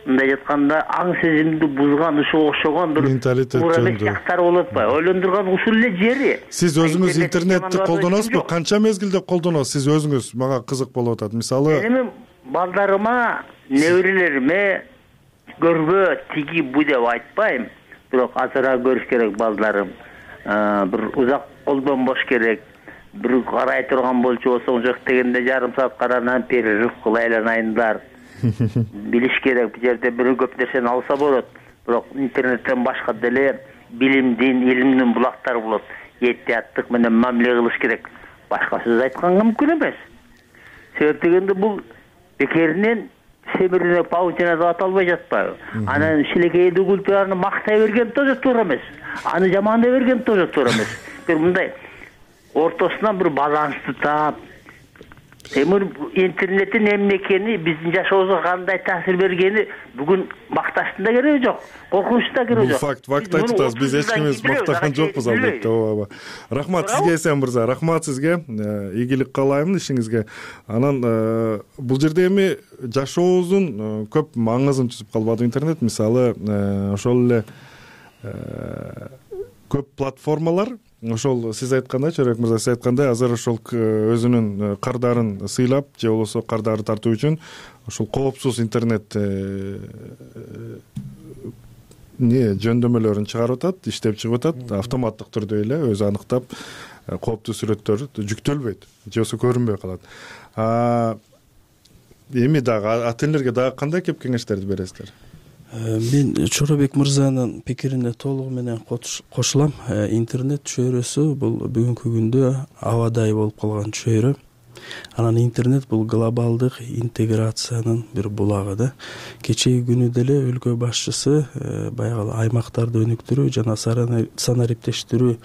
мындай айтканда аң сезимди бузган, ушуга окшогон бир туура эмес жактар болуп атпайбы? Ойлондурган ушул эле жери. Сиз өзүңүз интернетти колдоносузбу? Канча мезгилде колдоносуз? Сиз өзүңүз, мага кызык болуп атат. Мисалы, эми балдарыма, неберелериме көрбө, тиги бу деп айтпайм, бирок азыраак көрүш керек балдарым. Бир узак колдонбош керек. Бир карай турган болчу болсоң, жок дегенде жарым саат каранан перерыв кылып айланайындар. Билиш керек, бул жерде бир көп нерсени алса болот. Бирок интернеттен башка деле билимдин, илимдин булактары болот. Этияттык менен мамиле кылыш керек. Башка сөз айтканга мүмкүн эмес. Себеп дегенде бул бекеринен семирине паутина деп аталбай жатпайбы? Анан шилекейди культураны мактай берген тоже туура эмес. Аны жамандай берген тоже туура эмес. Бир мындай ортосунан бир балансты таап, эми интернеттин эмне экени, биздин жашообузга кандай таасир бергени бүгүн макташтын да кереги жок, коркунучтун да кереги жок. Бул факт айтып атасыз. Биз эч кимибиз мактаган жокпуз албетте. ооба. Рахмат сизге, Эсен мырза. Рахмат сизге. Ийгилик каалаймын ишиңизге. Анан бул жерде эми жашообуздун көп маңызын түзүп калбады интернет. Мисалы, ошол эле көп платформалар, ошол сиз айткандай, Чорбек мырза, сиз айткандай, азыр ошол өзүнүн кардарын сыйлап же болбосо кардары тартуу үчүн ошол коопсуз интернет жөндөмөлөрүн чыгарып атат, иштеп чыгып атат, автоматтык түрдө эле өзү аныктап кооптуу сүрөттөр жүктөлбөйт же болбосо көрүнбөй калат. Эми дагы ата энелерге дагы кандай кеп кеңештерди бересиздер? Мен Чорбек мырзанын пикирине толугу менен кошулам. Интернет чөйрөсү бул бүгүнкү күндө абадай болуп калган чөйрө. Анан интернет бул глобалдык интеграциянын бир булагы да. Кечеги күнү деле өлкө башчысы баягы аймактарды өнүктүрүү жана санариптештирүү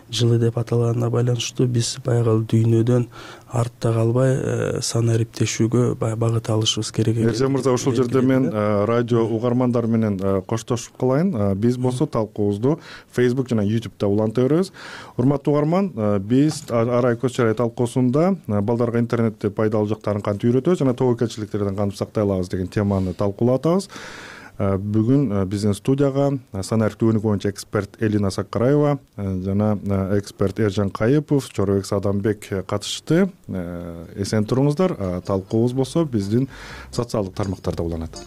жылы деп аталганына байланыштуу биз баягы дүйнөдөн артта калбай санариптешүүгө багыт алышыбыз керек. Эржен мырза, ушул жерде мен радио угармандары менен коштошуп калайын. Биз болсо талкуубузду Facebook жана YouTube'да уланта беребиз. Урматтуу угарман, биз арай көз чарай талкуусунда балдарга интернетти пайдалуу жактарын кантип үйрөтөбүз жана тобокелчиликтерден кантип сактай алабыз деген теманы талкуулап атабыз. Бүгүн биздин студияга санариптик өнүгүү боюнча эксперт Элина Сакараева жана эксперт Эржен Кайыпов, Чорбек Садамбек катышты. Эсен туруңуздар. Талкуубуз болсо биздин социалдык тармактарда уланат.